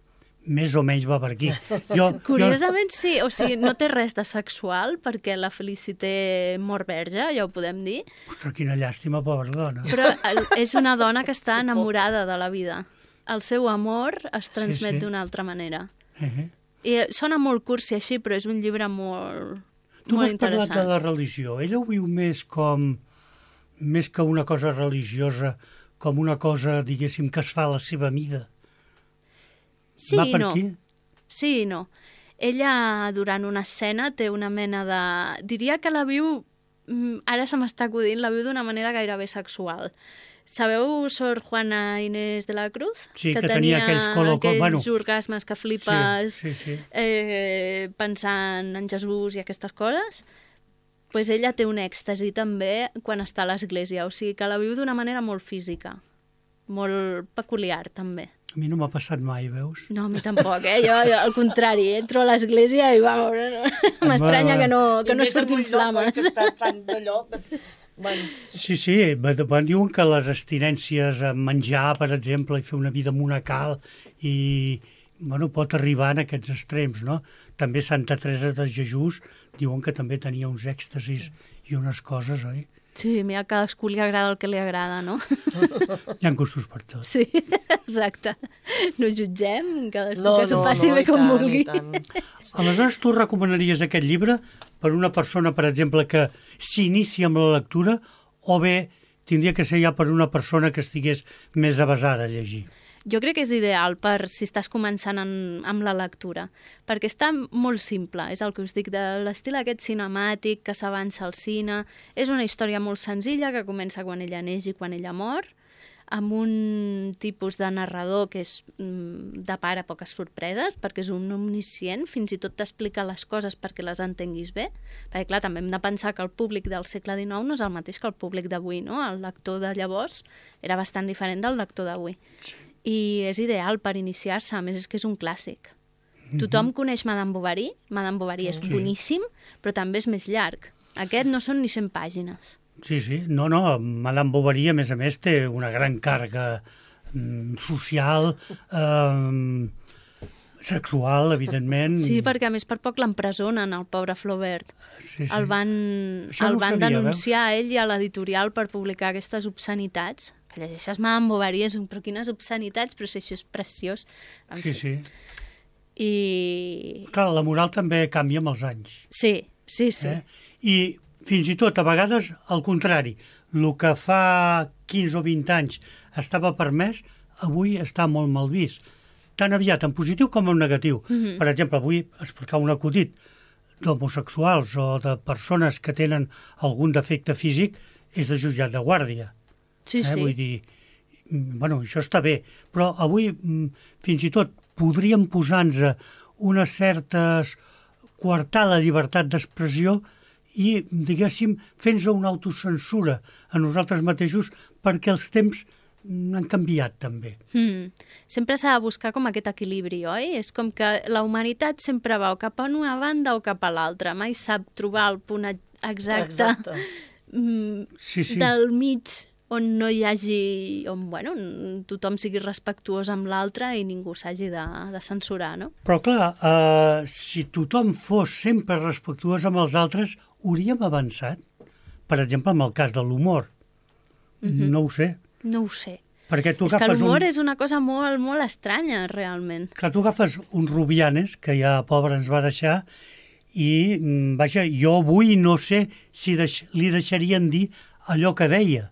Més o menys va per aquí. Jo, Curiosament sí, o sigui, no té res de sexual, perquè la Felicité mor verge, ja ho podem dir, Jo, ostres, quina llàstima, pobra dona. però el- és una dona que està enamorada de la vida. El seu amor es transmet sí. d'una altra manera. Eh? I sona molt cursi així, però és un llibre molt, Tu molt m'has parlat interessant. de la religió. Ella ho viu més com, més que una cosa religiosa, com una cosa, diguéssim, que es fa a la seva mida. Sí Va i per no. aquí? Sí i no. Ella, durant una escena, té una mena de... Diria que la viu, mm, ara se m'està acudint, la viu d'una manera gairebé sexual. Sabeu Sor Juana Inés de la Cruz? Sí, que tenia aquells colo- aquells bueno. orgasmes que flipes Sí, sí, sí. eh, pensant en Jesús i aquestes coses. Pues ella té un èxtasi també quan està a l'església, o sigui que la viu d'una manera molt física, molt peculiar també. A mi no m'ha passat mai, veus? No, a mi tampoc, eh? Jo, jo al contrari, entro a l'església i vamos, m'estranya que no, que no I més en surtin un lloc, oi, flames. que estàs tan d'allò... Bueno, Sí, sí, va- va- diuen que les abstinències a menjar, per exemple, i fer una vida monacal, i bueno, pot arribar en aquests extrems, no? També Santa Teresa de Jesús diuen que també tenia uns èxtasis i unes coses, oi? Sí, mira, a cadascú li agrada el que li agrada, no? Hi ha gustos per tot. Sí, exacte. No jutgem, cadascú no, que s'ho no, passi no, bé i com tant, vulgui. i tant. Aleshores, tu recomanaries aquest llibre per una persona, per exemple, que s'inicia amb la lectura, o bé tindria que ser ja per una persona que estigués més avasada a llegir? Jo crec que és ideal per si estàs començant en, amb la lectura, perquè està molt simple, és el que us dic, de l'estil aquest cinemàtic que s'avança al cine. És una història molt senzilla que comença quan ella neix i quan ella mor, amb un tipus de narrador que és mm, de pare poques sorpreses, perquè és un omniscient, fins i tot t'explica les coses perquè les entenguis bé. Perquè, clar, també hem de pensar que el públic del segle dinou no és el mateix que el públic d'avui, no? El lector de llavors era bastant diferent del lector d'avui. Sí. I és ideal per iniciar-se, a més és que és un clàssic. Mm-hmm. Tothom coneix Madame Bovary, Madame Bovary és Sí. boníssim, però també és més llarg. Aquest no són ni cent pàgines. Sí, sí. No, no, Madame Bovary, a més a més, té una gran càrrega mm, social, eh, sexual, evidentment. Sí, perquè a més per poc l'empresonen, el pobre Flaubert. Sí, sí. El van, Això el no ho van sabia, denunciar a ell i a l'editorial per publicar aquestes obscenitats, que llegeixes Madame Bovary, és un, però quines obscenitats, però si això és preciós. En Sí, fi. sí. I... Clar, la moral també canvia amb els anys. Sí, sí, sí. Eh? I fins i tot, a vegades, al contrari, el que fa quinze o vint anys estava permès, avui està molt mal vist. Tan aviat en positiu com en negatiu. Mhm. Per exemple, avui explicar un acudit d'homosexuals o de persones que tenen algun defecte físic és de jutjat de guàrdia. Sí, eh? sí. Vull dir, mm, bueno, això està bé, però avui mm, fins i tot podríem posar-nos unes certes coartar la llibertat d'expressió i, diguéssim, fent-nos una autocensura a nosaltres mateixos perquè els temps mm, han canviat també. Mm. Sempre s'ha de buscar com aquest equilibri, oi? És com que la humanitat sempre va o cap a una banda o cap a l'altra. Mai sap trobar el punt exacte, Exacte. mm, Sí, sí. del mig on no hi hagi... on, bueno, tothom sigui respectuós amb l'altre i ningú s'hagi de, de censurar, no? Però clar, eh, si tothom fos sempre respectuós amb els altres, hauríem avançat. Per exemple, amb el cas de l'humor. Mhm. No ho sé. No ho sé. Perquè tu És que agafes l'humor un... és una cosa molt, molt estranya, realment. Clar, tu agafes un Rubianes, que ja pobre ens va deixar, i, mm, vaja, jo avui no sé si deix... li deixarien dir allò que deia.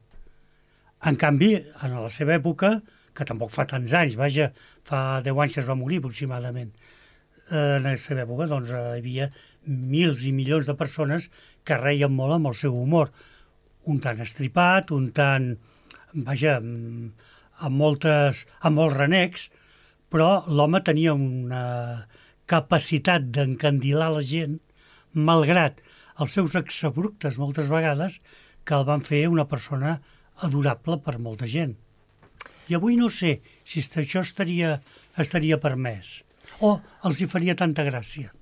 En canvi, en la seva època, que tampoc fa tants anys, vaja, fa deu anys que es va morir aproximadament, eh, en la seva època doncs, eh, hi havia mils i milions de persones que reien molt amb el seu humor. Un tant estripat, un tant, vaja, mm, amb, moltes, amb molts renecs, però l'home tenia una capacitat d'encandilar la gent, malgrat els seus exabruptes moltes vegades, que el van fer una persona adorable per molta gent. I avui no sé si això estaria, estaria permès o els hi faria tanta gràcia.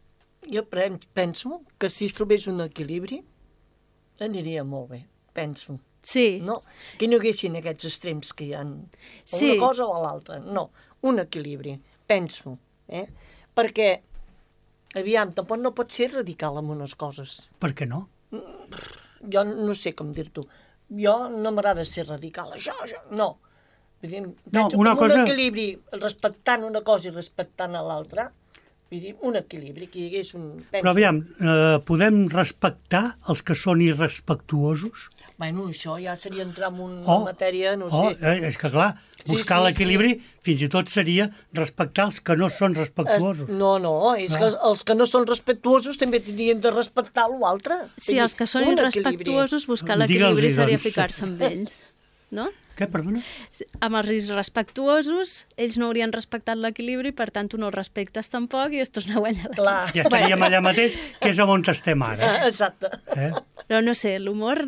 Jo pen- penso que si es trobés un equilibri aniria molt bé, penso. Sí. No? Que no hi haguessin aquests extrems que hi ha, o Sí. una cosa o l'altra. No, un equilibri, penso. Eh? Perquè, aviam, tampoc no pot ser radical amb unes coses. Per què no? Jo no sé com dir-t'ho. Jo no m'agrada ser radical, això, això, no. Vull dir, penso una que amb cosa- un equilibri, respectant una cosa i respectant a l'altra, vull dir, un equilibri, que hi hagués un... Penso, Però aviam, eh, podem respectar els que són irrespectuosos? Bueno, això ja seria entrar en una Oh, matèria, no oh, sé... eh, és que clar, Sí, buscar sí, l'equilibri fins i tot seria respectar els que no són respectuosos. Es, no, no, és que els que no són respectuosos també tindrien de respectar l'altre. Sí, els que són Un irrespectuosos, buscar Digue'ls-hi, l'equilibri seria doncs. ficar-se amb ells, no? Què, perdona? Amb els irrespectuosos, ells no haurien respectat l'equilibri, per tant, tu no el respectes tampoc i es torna a guanyar la... Clar. Ja estaríem allà mateix, que és on estem ara. Ah, exacte. Eh? Però no sé, l'humor...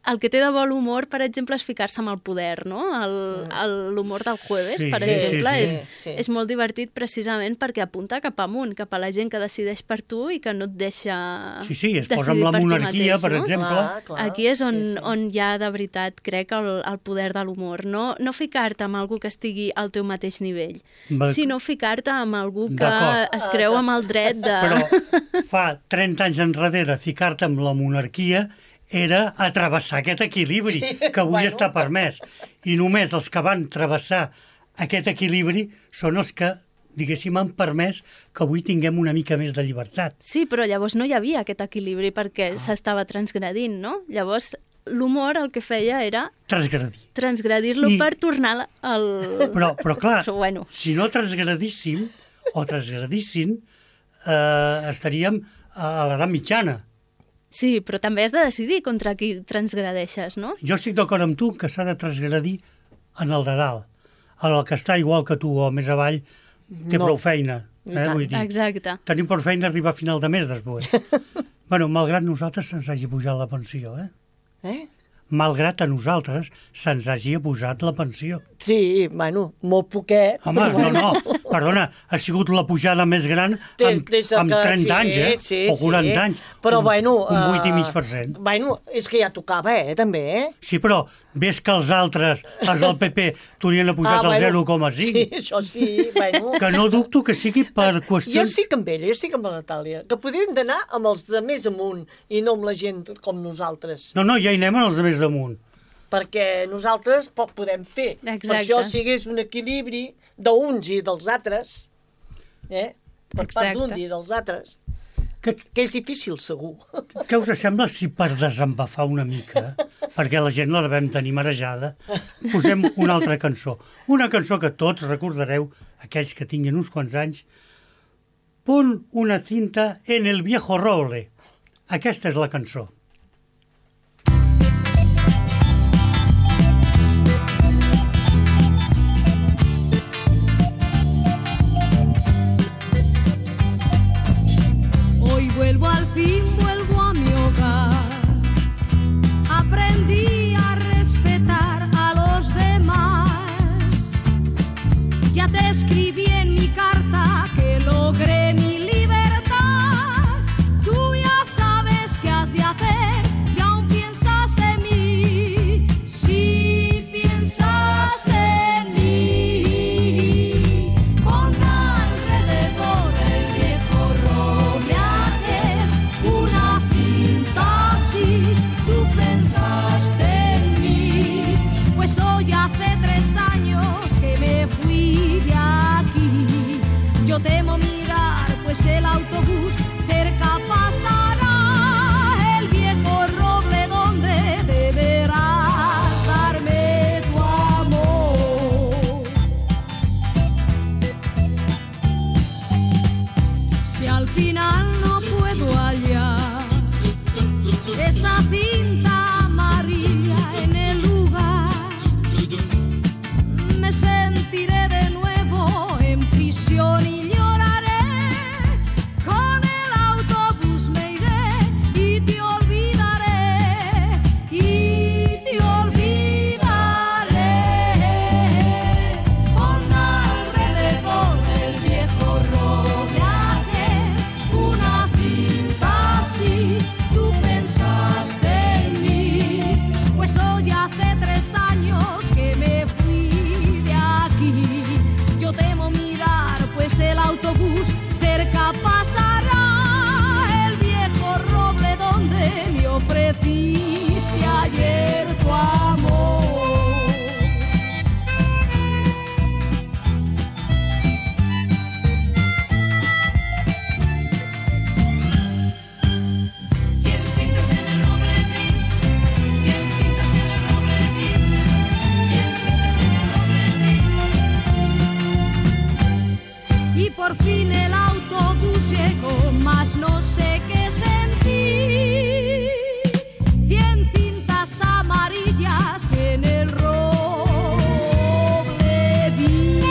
El que té de bo l'humor, per exemple, és ficar-se amb el poder, no? El- el- L'humor del jueves, Sí, per sí, exemple, sí, és, sí, sí. és molt divertit precisament perquè apunta cap amunt, cap a la gent que decideix per tu i que no et deixa Sí, sí, es posa decidir amb la per tu monarquia, mateix, per no? exemple. Clar, clar. Aquí és on, Sí, sí. on hi ha de veritat, crec, el, el poder de l'humor. No, no ficar-te amb algú que estigui al teu mateix nivell, Va- sinó ficar-te amb algú que D'acord. es creu amb el dret de... Però fa trenta anys enrere ficar-te amb la monarquia era a travessar aquest equilibri, Sí, que avui bueno. està permès. I només els que van travessar aquest equilibri són els que, diguéssim, han permès que avui tinguem una mica més de llibertat. Sí, però llavors no hi havia aquest equilibri perquè Ah. s'estava transgredint, no? Llavors l'humor el que feia era Transgredir. transgredir-lo I- per tornar al... Però, però clar, Però bueno. si no transgredíssim, o transgredissin, eh, estaríem a l'edat mitjana. Sí, però també has de decidir contra qui transgredeixes, no? Jo estic d'acord amb tu que s'ha de transgredir en el de dalt. El que està igual que tu o més avall té No. prou feina. I Eh, tant. vull dir, Exacte. tenim prou feina arribar a final de mes després. Bueno, malgrat nosaltres se'ns hagi pujat la pensió, eh? Eh? Malgrat a nosaltres se'ns hagi posat la pensió. Sí, bueno, molt poquet. Home, però no, bueno. no, Perdona, ha sigut la pujada més gran amb, Des de amb que- trenta sí, anys, eh? sí, o quaranta sí. anys. Però, un, bueno... Un vuit i mig eh, per cent. Bueno, és que ja tocava, eh, també, eh? Sí, però ves que els altres, els del P P, t'haurien apujat el zero coma cinc. Sí, això sí, bueno... Que no dubto que sigui per Jo qüestions... estic amb ella, jo estic amb la Natàlia, que podrien d'anar amb els de més amunt i no amb la gent com nosaltres. No, no, ja hi anem als de més damunt. Perquè nosaltres poc podem fer. Exacte. Per això, si hagués un equilibri d'uns i dels altres, eh? per part Exacte. d'un i dels altres, Que, que és difícil, segur. què us sembla si per desembafar una mica, perquè la gent la devem tenir marejada, posem una altra cançó. Una cançó que tots recordareu, aquells que tinguin uns quants anys, Pon una cinta en el viejo roble. Aquesta és la cançó. Hoy vuelvo al fin, vuelvo a mi hogar. Aprendí a respetar a los demás. Ya te escribí en mi carta que logré mi libertad. Tú ya sabes qué has de hacer, si aún piensas en mí. Si piensas en mí, pon alrededor del viejo roble aquel una cinta así. Tú pensaste en mí, pues hoy hace tres años que me fui de aquí. Yo temo mirar, pues el autobús cerca pasará. El viejo roble donde deberás darme tu amor. Si al final no puedo hallar esa cinta amarilla en el lugar, me sentiré de nuevo en prisión y lloraré. Con el autobús me iré y te olvidaré, y te olvidaré. Pon alrededor del viejo roble aquel una cinta así. Tú pensaste en mí, pues hoy hace tres años que me fui de aquí. Yo temo mirar, pues el autobús cerca pasará. El viejo roble donde me ofreciste ayer tu amor. Cien cintas en el roble vi, cien cintas en el roble vi, cien cintas en el roble vi. Y por fin el autobús llegó, mas no sé qué sentí. Cien cintas amarillas en el roble vi.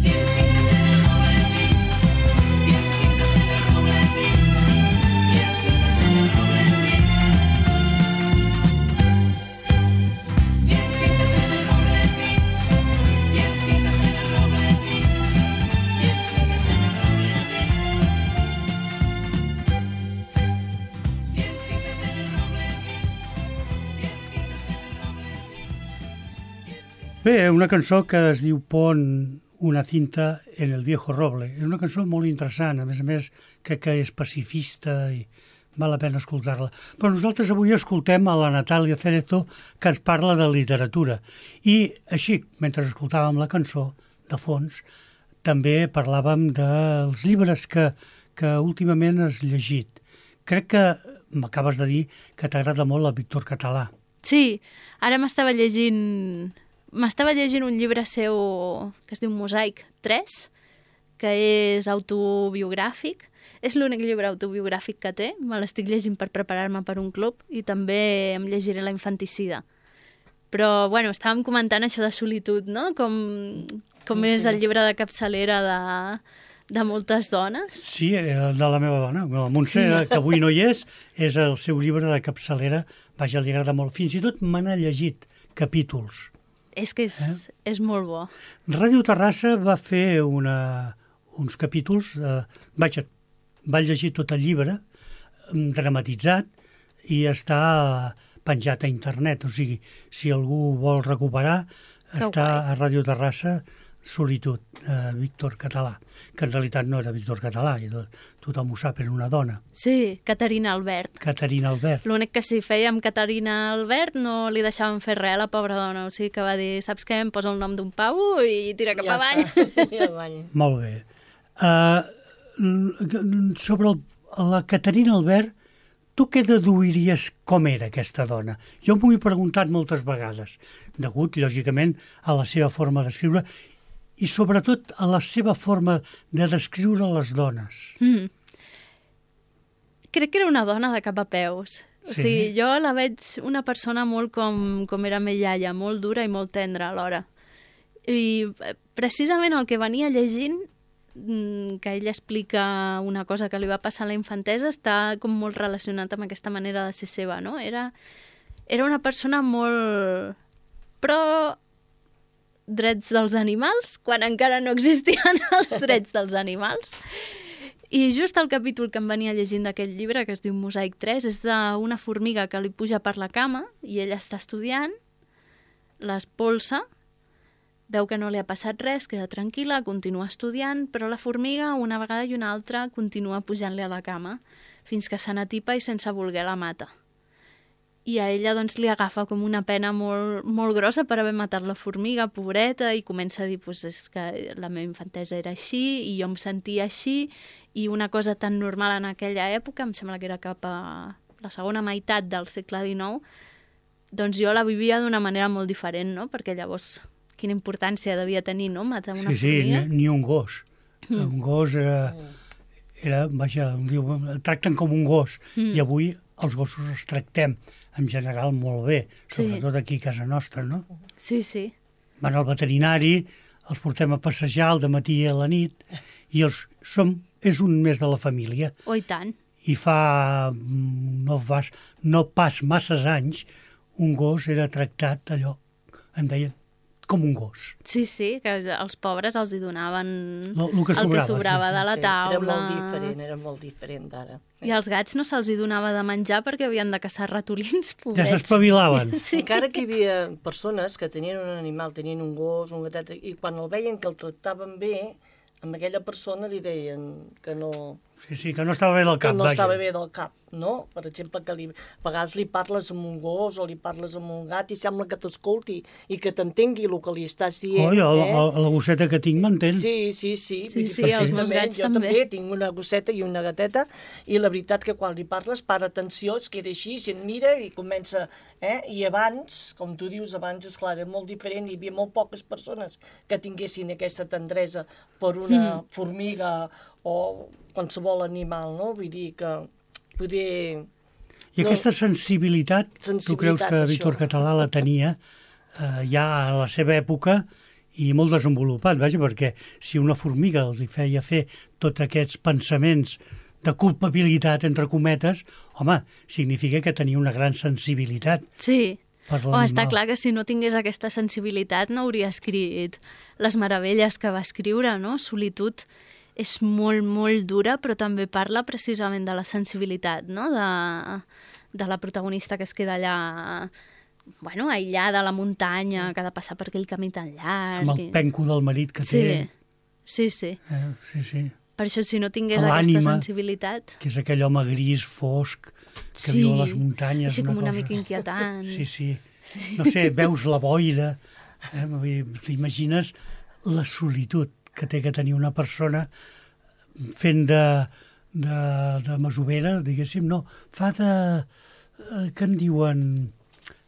Cien cintas en el roble vi, cien cintas en el roble vi, cien cintas en el roble vi. Cien cintas en el roble vi, cien cintas en el roble vi, cien cintas en el roble vi. Cien cintas en el roble vi, cien cintas en el roble vi. Bé, una cançó que es diu Pon una cinta en el viejo roble. És una cançó molt interessant, a més a més crec que és pacifista i val la pena escoltar-la. Però nosaltres avui escoltem a la Natàlia Cerezo, que ens parla de literatura. I així, mentre escoltàvem la cançó, de fons, també parlàvem dels llibres que, que últimament has llegit. Crec que m'acabes de dir que t'agrada molt el Víctor Català. Sí, ara m'estava llegint... M'estava llegint un llibre seu que es diu Mosaic tres, que és autobiogràfic. És l'únic llibre autobiogràfic que té. Me l'estic llegint per preparar-me per un club i també em llegiré La infanticida. Però, bueno, estàvem comentant això de solitud, no? Com, com Sí, és sí. el llibre de capçalera de, de moltes dones. Sí, eh, de la meva dona, la Montse, sí. que avui no hi és, és el seu llibre de capçalera, vaja, li agrada molt. Fins i tot me n'ha llegit capítols. És que és, eh? és molt bo. Ràdio Terrassa va fer una, uns capítols, eh, vaja, va llegir tot el llibre, dramatitzat, i està penjat a internet. O sigui, si algú vol recuperar, que està guai. A Ràdio Terrassa, Solitud, eh, Víctor Català, que en realitat no era Víctor Català, i tothom ho sap, era una dona. Sí, Caterina Albert. Caterina Albert. L'únic que si feia amb Caterina Albert no li deixaven fer res a la pobra dona, o sigui que va dir, saps què, em posa el nom d'un pau i tira cap ja avall. Ja avall. Molt bé. Uh, sobre el, la Caterina Albert, tu què deduiries com era aquesta dona? Jo m'ho he preguntat moltes vegades, degut, lògicament, a la seva forma d'escriure i sobretot a la seva forma de descriure les dones. Mm. Crec que era una dona de cap a peus. O Sí. sigui, jo la veig una persona molt com, com era meva iaia, molt dura i molt tendra alhora. I eh, precisament el que venia llegint, mm, que ella explica una cosa que li va passar a la infantesa, està com molt relacionat amb aquesta manera de ser seva, no? Era, era una persona molt... Però drets dels animals, quan encara no existien els drets dels animals. I just el capítol que em venia llegint d'aquest llibre, que es diu Mosaic tres, és d'una formiga que li puja per la cama i ella està estudiant, l'espolsa, veu que no li ha passat res, queda tranquil·la, continua estudiant, però la formiga una vegada i una altra continua pujant-li a la cama fins que se n'atipa i sense voler la mata. I a ella doncs, li agafa com una pena molt, molt grossa per haver matat la formiga, pobreta, i comença a dir pues, és que la meva infantesa era així i jo em sentia així, i una cosa tan normal en aquella època, em sembla que era cap a la segona meitat del segle dinou, doncs jo la vivia d'una manera molt diferent, no? Perquè llavors quina importància devia tenir, no?, matar una sí, sí, formiga. ni, ni un gos. Mm. Un gos era, era vaja, diu, el tracten com un gos, mm. i avui els gossos els tractem en general molt bé, sobretot sí. aquí a casa nostra, no? Sí, sí. Van al veterinari, els portem a passejar al dematí i a la nit, i els som, és un més de la família. Oh, i tant. I fa no, vas, no pas masses anys, un gos era tractat allò, en deien, com un gos. Sí, sí, que els pobres els hi donaven Lo, lo que el sobrava, que sobrava sí, de la Sí, taula. era molt diferent, era molt diferent d'ara. I als gats no se'ls hi donava de menjar perquè havien de caçar ratolins, Ja pobrets. s'espavilaven. Sí. Encara que hi havia persones que tenien un animal, tenien un gos, un gatet, i quan el veien que el tractaven bé, a aquella persona li deien que no, Sí, sí, que no estava bé del que cap, no vaja. estava bé del cap, no? Per exemple, que li, a vegades li parles amb un gos o li parles amb un gat i sembla que t'escolti i que t'entengui el que li estàs dient. Oi, el, eh? el, la gosseta que tinc m'entén. Sí, sí, sí. Sí, Vull dir, sí, perquè els jo meus gats jo també. també tinc una gosseta i una gateta i la veritat que quan li parles para atenció, es queda així, i et mira i comença... Eh? I abans, com tu dius, abans, esclar, era molt diferent, hi havia molt poques persones que tinguessin aquesta tendresa per una mm. formiga o qualsevol animal, no? Vull dir que poder... I no, aquesta sensibilitat, sensibilitat, tu creus que Víctor això. Català la tenia eh, ja a la seva època i molt desenvolupat, vaja, perquè si una formiga li feia fer tots aquests pensaments de culpabilitat, entre cometes, home, significa que tenia una gran sensibilitat Sí. per Oh, l'animal. està clar que si no tingués aquesta sensibilitat no hauria escrit les meravelles que va escriure, no? Solitud és molt, molt dura, però també parla precisament de la sensibilitat, no? De, de la protagonista que es queda allà, bueno, aïllada a la muntanya, que ha de passar per aquell camí tan llarg. Amb el i- penco del marit que Sí, té. sí, sí. Eh, sí, sí. Per això, si no tingués L'ànima. aquesta sensibilitat... Que és aquell home gris, fosc, que Sí, viu a les muntanyes. així com una cosa. mica inquietant. Sí, sí. No sé, veus la boira, eh? Vull dir, t'imagines la solitud que té que tenir una persona fent de, de, de masovera, diguéssim, no, fa de... Eh, que en diuen...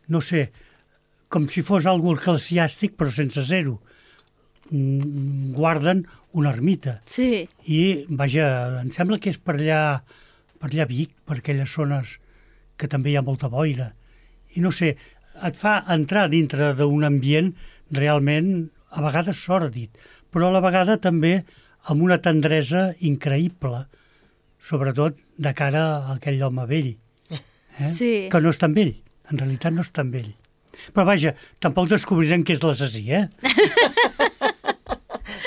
No sé, com si fos algú eclesiàstic, però sense zero. Mm, guarden una ermita. Sí, I, vaja, em sembla que és per allà, per allà a Vic, per aquelles zones que també hi ha molta boira. I no sé, et fa entrar dintre d'un ambient realment, a vegades sòrdid, però a la vegada també amb una tendresa increïble, sobretot de cara a aquell home vell, eh? Sí. Que no és tan vell, en realitat no és tan vell. Però vaja, tampoc descobrirem què és l'assassí, eh?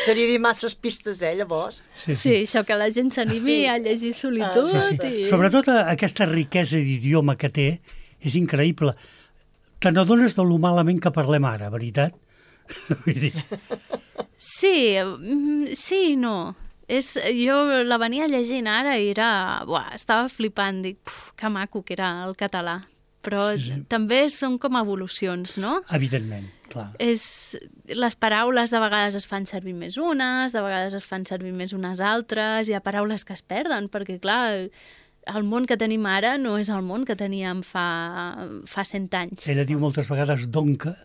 Seria dir masses pistes, eh, llavors? Sí, Sí, això que la gent s'animi Sí. a llegir Solitud. Sí, sí. I... Sobretot a- aquesta riquesa d'idioma que té és increïble. Te n'adones de lo malament que parlem ara, veritat? Vull dir, Sí, mm, sí i no. És, jo la venia llegint ara i era... Buah, estava flipant, dic, puf, que maco que era el català. Però Sí, sí. també són com evolucions, no? evidentment, clar. És, les paraules de vegades es fan servir més unes, de vegades es fan servir més unes altres, hi ha paraules que es perden, perquè clar, el món que tenim ara no és el món que teníem fa, fa cent anys. Ella diu moltes vegades donca.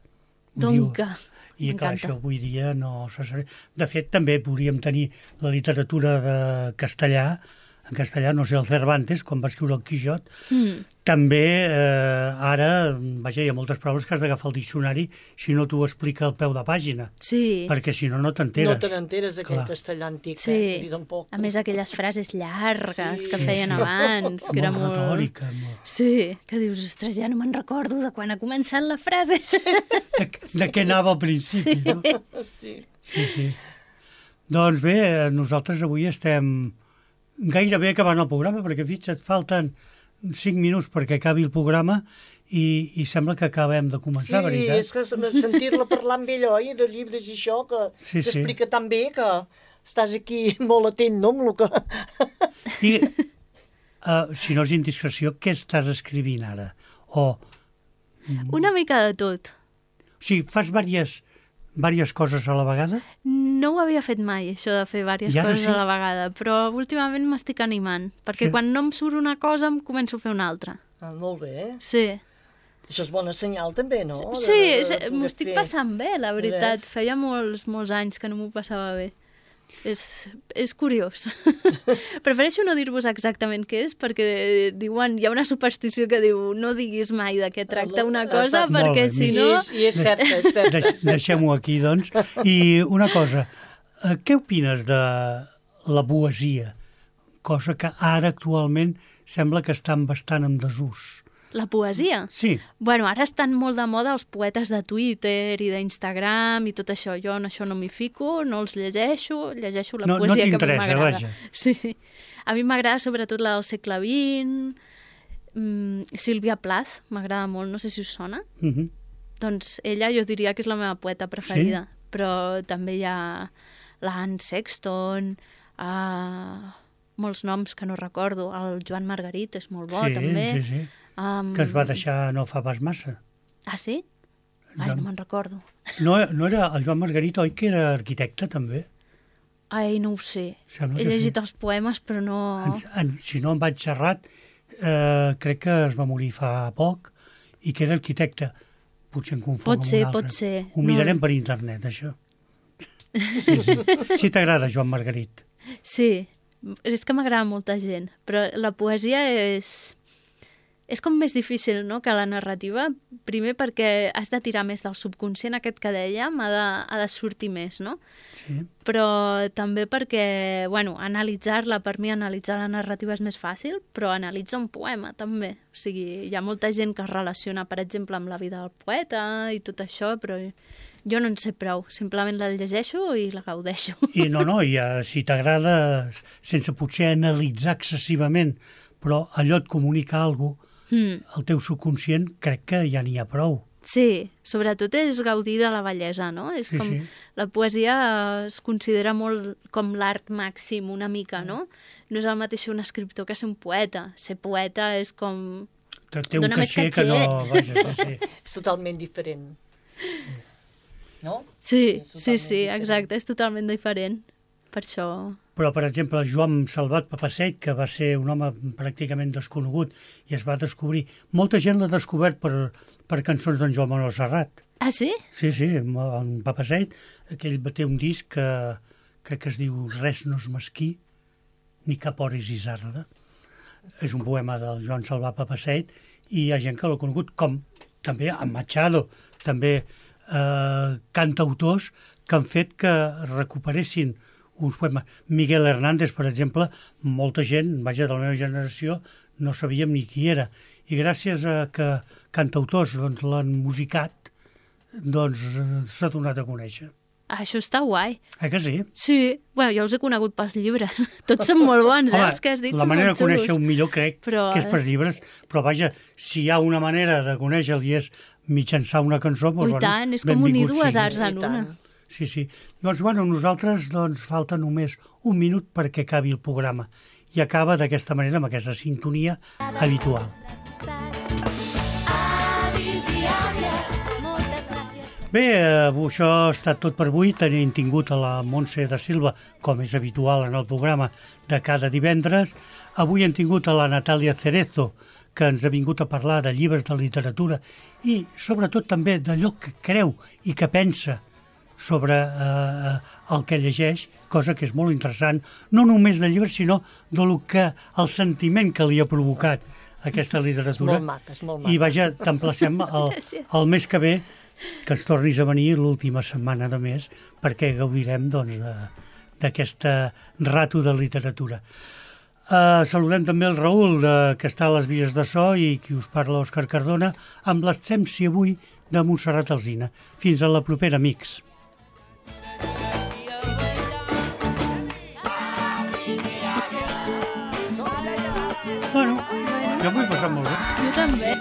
ho diu. Donca. I clar, M'encanta. això avui dia no se sap. De fet, també podríem tenir la literatura de castellà, en castellà, no sé, el Cervantes, quan va escriure el Quixot, Mm. també eh, ara, vaja, hi ha moltes paraules que has d'agafar el diccionari si no t'ho explica al peu de pàgina, Sí. perquè si no, no t'enteres. No te n'enteres, aquell Clar. castellà antic, Sí. eh? Dir tampoc. A més, aquelles frases llargues Sí. que Sí, feien sí. abans, que era molt molt... retòrica. Molt... Sí, que dius, ostres, ja no me'n recordo de quan ha començat la frase. De, de què anava al principi, Sí. no? Sí. Sí, sí. Doncs bé, nosaltres avui estem gairebé acabant el programa, perquè fixa't, falten cinc minuts perquè acabi el programa i, i sembla que acabem de començar, Sí, veritat? és que sentir-la parlar amb ell, oi, de llibres i això, que Sí, sí. s'explica tan bé que estàs aquí molt atent, no?, amb el que... I, uh, si no és indiscreció, què estàs escrivint ara? O, Una mica de tot. o sigui, fas diverses, diverses coses a la vegada? No ho havia fet mai, això de fer diverses I ara coses sí? a la vegada, però últimament m'estic animant, perquè Sí. quan no em surt una cosa em començo a fer una altra. Ah, molt bé, eh? Sí, Això és bona senyal, també, no? De- sí, de- és- de poder m'ho estic fer. passant bé, la veritat. Ves? Feia molts, molts anys que no m'ho passava bé. És, és curiós. Prefereixo no dir-vos exactament què és, perquè diuen, hi ha una superstició que diu no diguis mai de què tracta una cosa, Exacte. Molt perquè bé, si I, no... és, I és certa, és certa. Deix, Deixem-ho aquí, doncs. I una cosa, eh, què opines de la poesia? Cosa que ara actualment sembla que estan bastant en desús. La poesia? Sí, Bueno, ara estan molt de moda els poetes de Twitter i d'Instagram i tot això. Jo en això no m'hi fico, no els llegeixo, llegeixo la No- no poesia que a mi t'interessa, m'agrada. vaja. Sí. A mi m'agrada sobretot la del segle vint, mm, Sílvia Plath, m'agrada molt, no sé si us sona. uh -huh. Doncs ella jo diria que és la meva poeta preferida. Però també hi ha l'Anne Sexton, uh, molts noms que no recordo. El Joan Margarit és molt bo, sí, també. sí, sí. Um, Que es va deixar no fa pas massa. Ah, sí? Ai, Joan- no me'n recordo. No, no era el Joan Margarit, oi, que era arquitecte, també? Ai, no ho sé. Sembla He que llegit sí. els poemes, però no... En, en, si no em vaig xerrat, eh, crec que es va morir fa poc i que era arquitecte. Potser em confonc Pot amb ser, un altre. pot ser. Ho No. mirarem per internet, això. Sí, sí. Si t'agrada, Joan Margarit. Sí, és que m'agrada molta gent, però la poesia és... És com més difícil, no?, que la narrativa. Primer perquè has de tirar més del subconscient aquest que dèiem, ha de, ha de sortir més, no? Sí. Però també perquè, bueno, analitzar-la, per mi analitzar la narrativa és més fàcil, però analitzar un poema també. O sigui, hi ha molta gent que es relaciona, per exemple, amb la vida del poeta i tot això, però jo no en sé prou. Simplement la llegeixo i la gaudeixo. I no, no, i uh, si t'agrada, sense potser analitzar excessivament, però allò et comunica alguna cosa, Mm. el teu subconscient, crec que ja n'hi ha prou. Sí, sobretot és gaudir de la bellesa, no? És Sí, com, sí. La poesia es considera molt com l'art màxim, una mica, no? No és el mateix ser un escriptor que ser un poeta. Ser poeta és com... Té té un Dóna més caché que no... Vaja, sí, sí. És totalment diferent. No? Sí, És sí, totalment sí, diferent. exacte, és totalment diferent. Per això... Però, per exemple, Joan Salvat Papaseit, que va ser un home pràcticament desconegut i es va descobrir... Molta gent l'ha descobert per, per cançons d'en Joan Manuel Serrat. Ah, sí? Sí, sí, en Papaseit, aquell va té un disc que crec que es diu Res no és mesquí, ni cap hora és isarda. És un poema del Joan Salvat Papaseit i hi ha gent que l'ha conegut, com també en Machado, també eh, cantautors que han fet que recuperessin uns poemes. Miguel Hernández, per exemple, molta gent, vaja, de la meva generació, no sabíem ni qui era. I gràcies a que cantautors doncs, l'han musicat, doncs s'ha donat a conèixer. Ah, això està guai. Eh que sí? Sí, bueno, jo els he conegut pels llibres. Tots són molt bons, eh, Home, els que has dit la són manera molt de conèixer xulos. un millor crec Però, que és per llibres, però vaja, si hi ha una manera de conèixer-lo i és mitjançar una cançó, doncs, Ui, bueno, tant, és com unir benvingut dues sigui. arts en I tant. una. Sí, sí. Doncs, bueno, nosaltres doncs, falta només un minut perquè acabi el programa. I acaba d'aquesta manera, amb aquesta sintonia habitual. Avis i àvies, moltes gràcies. Bé, eh, això ha estat tot per avui. Tenim tingut a la Montse de Silva, com és habitual en el programa de cada divendres. Avui hem tingut a la Natàlia Cerezo, que ens ha vingut a parlar de llibres de literatura i sobretot també d'allò que creu i que pensa sobre eh, el que llegeix, cosa que és molt interessant, no només de llibres, sinó de lo que, el sentiment que li ha provocat aquesta literatura. És molt maca, és molt maca. I vaja, t'emplacem el, el mes que ve que ens tornis a venir l'última setmana de mes perquè gaudirem doncs, de- d'aquesta rato de literatura. Uh, saludem també el Raül, de, que està a les vies de so, i qui us parla, Òscar Cardona, amb l'absència avui de Montserrat Alsina. Fins a la propera, amics. Bueno, jo m'ho he passat molt bé. Jo també.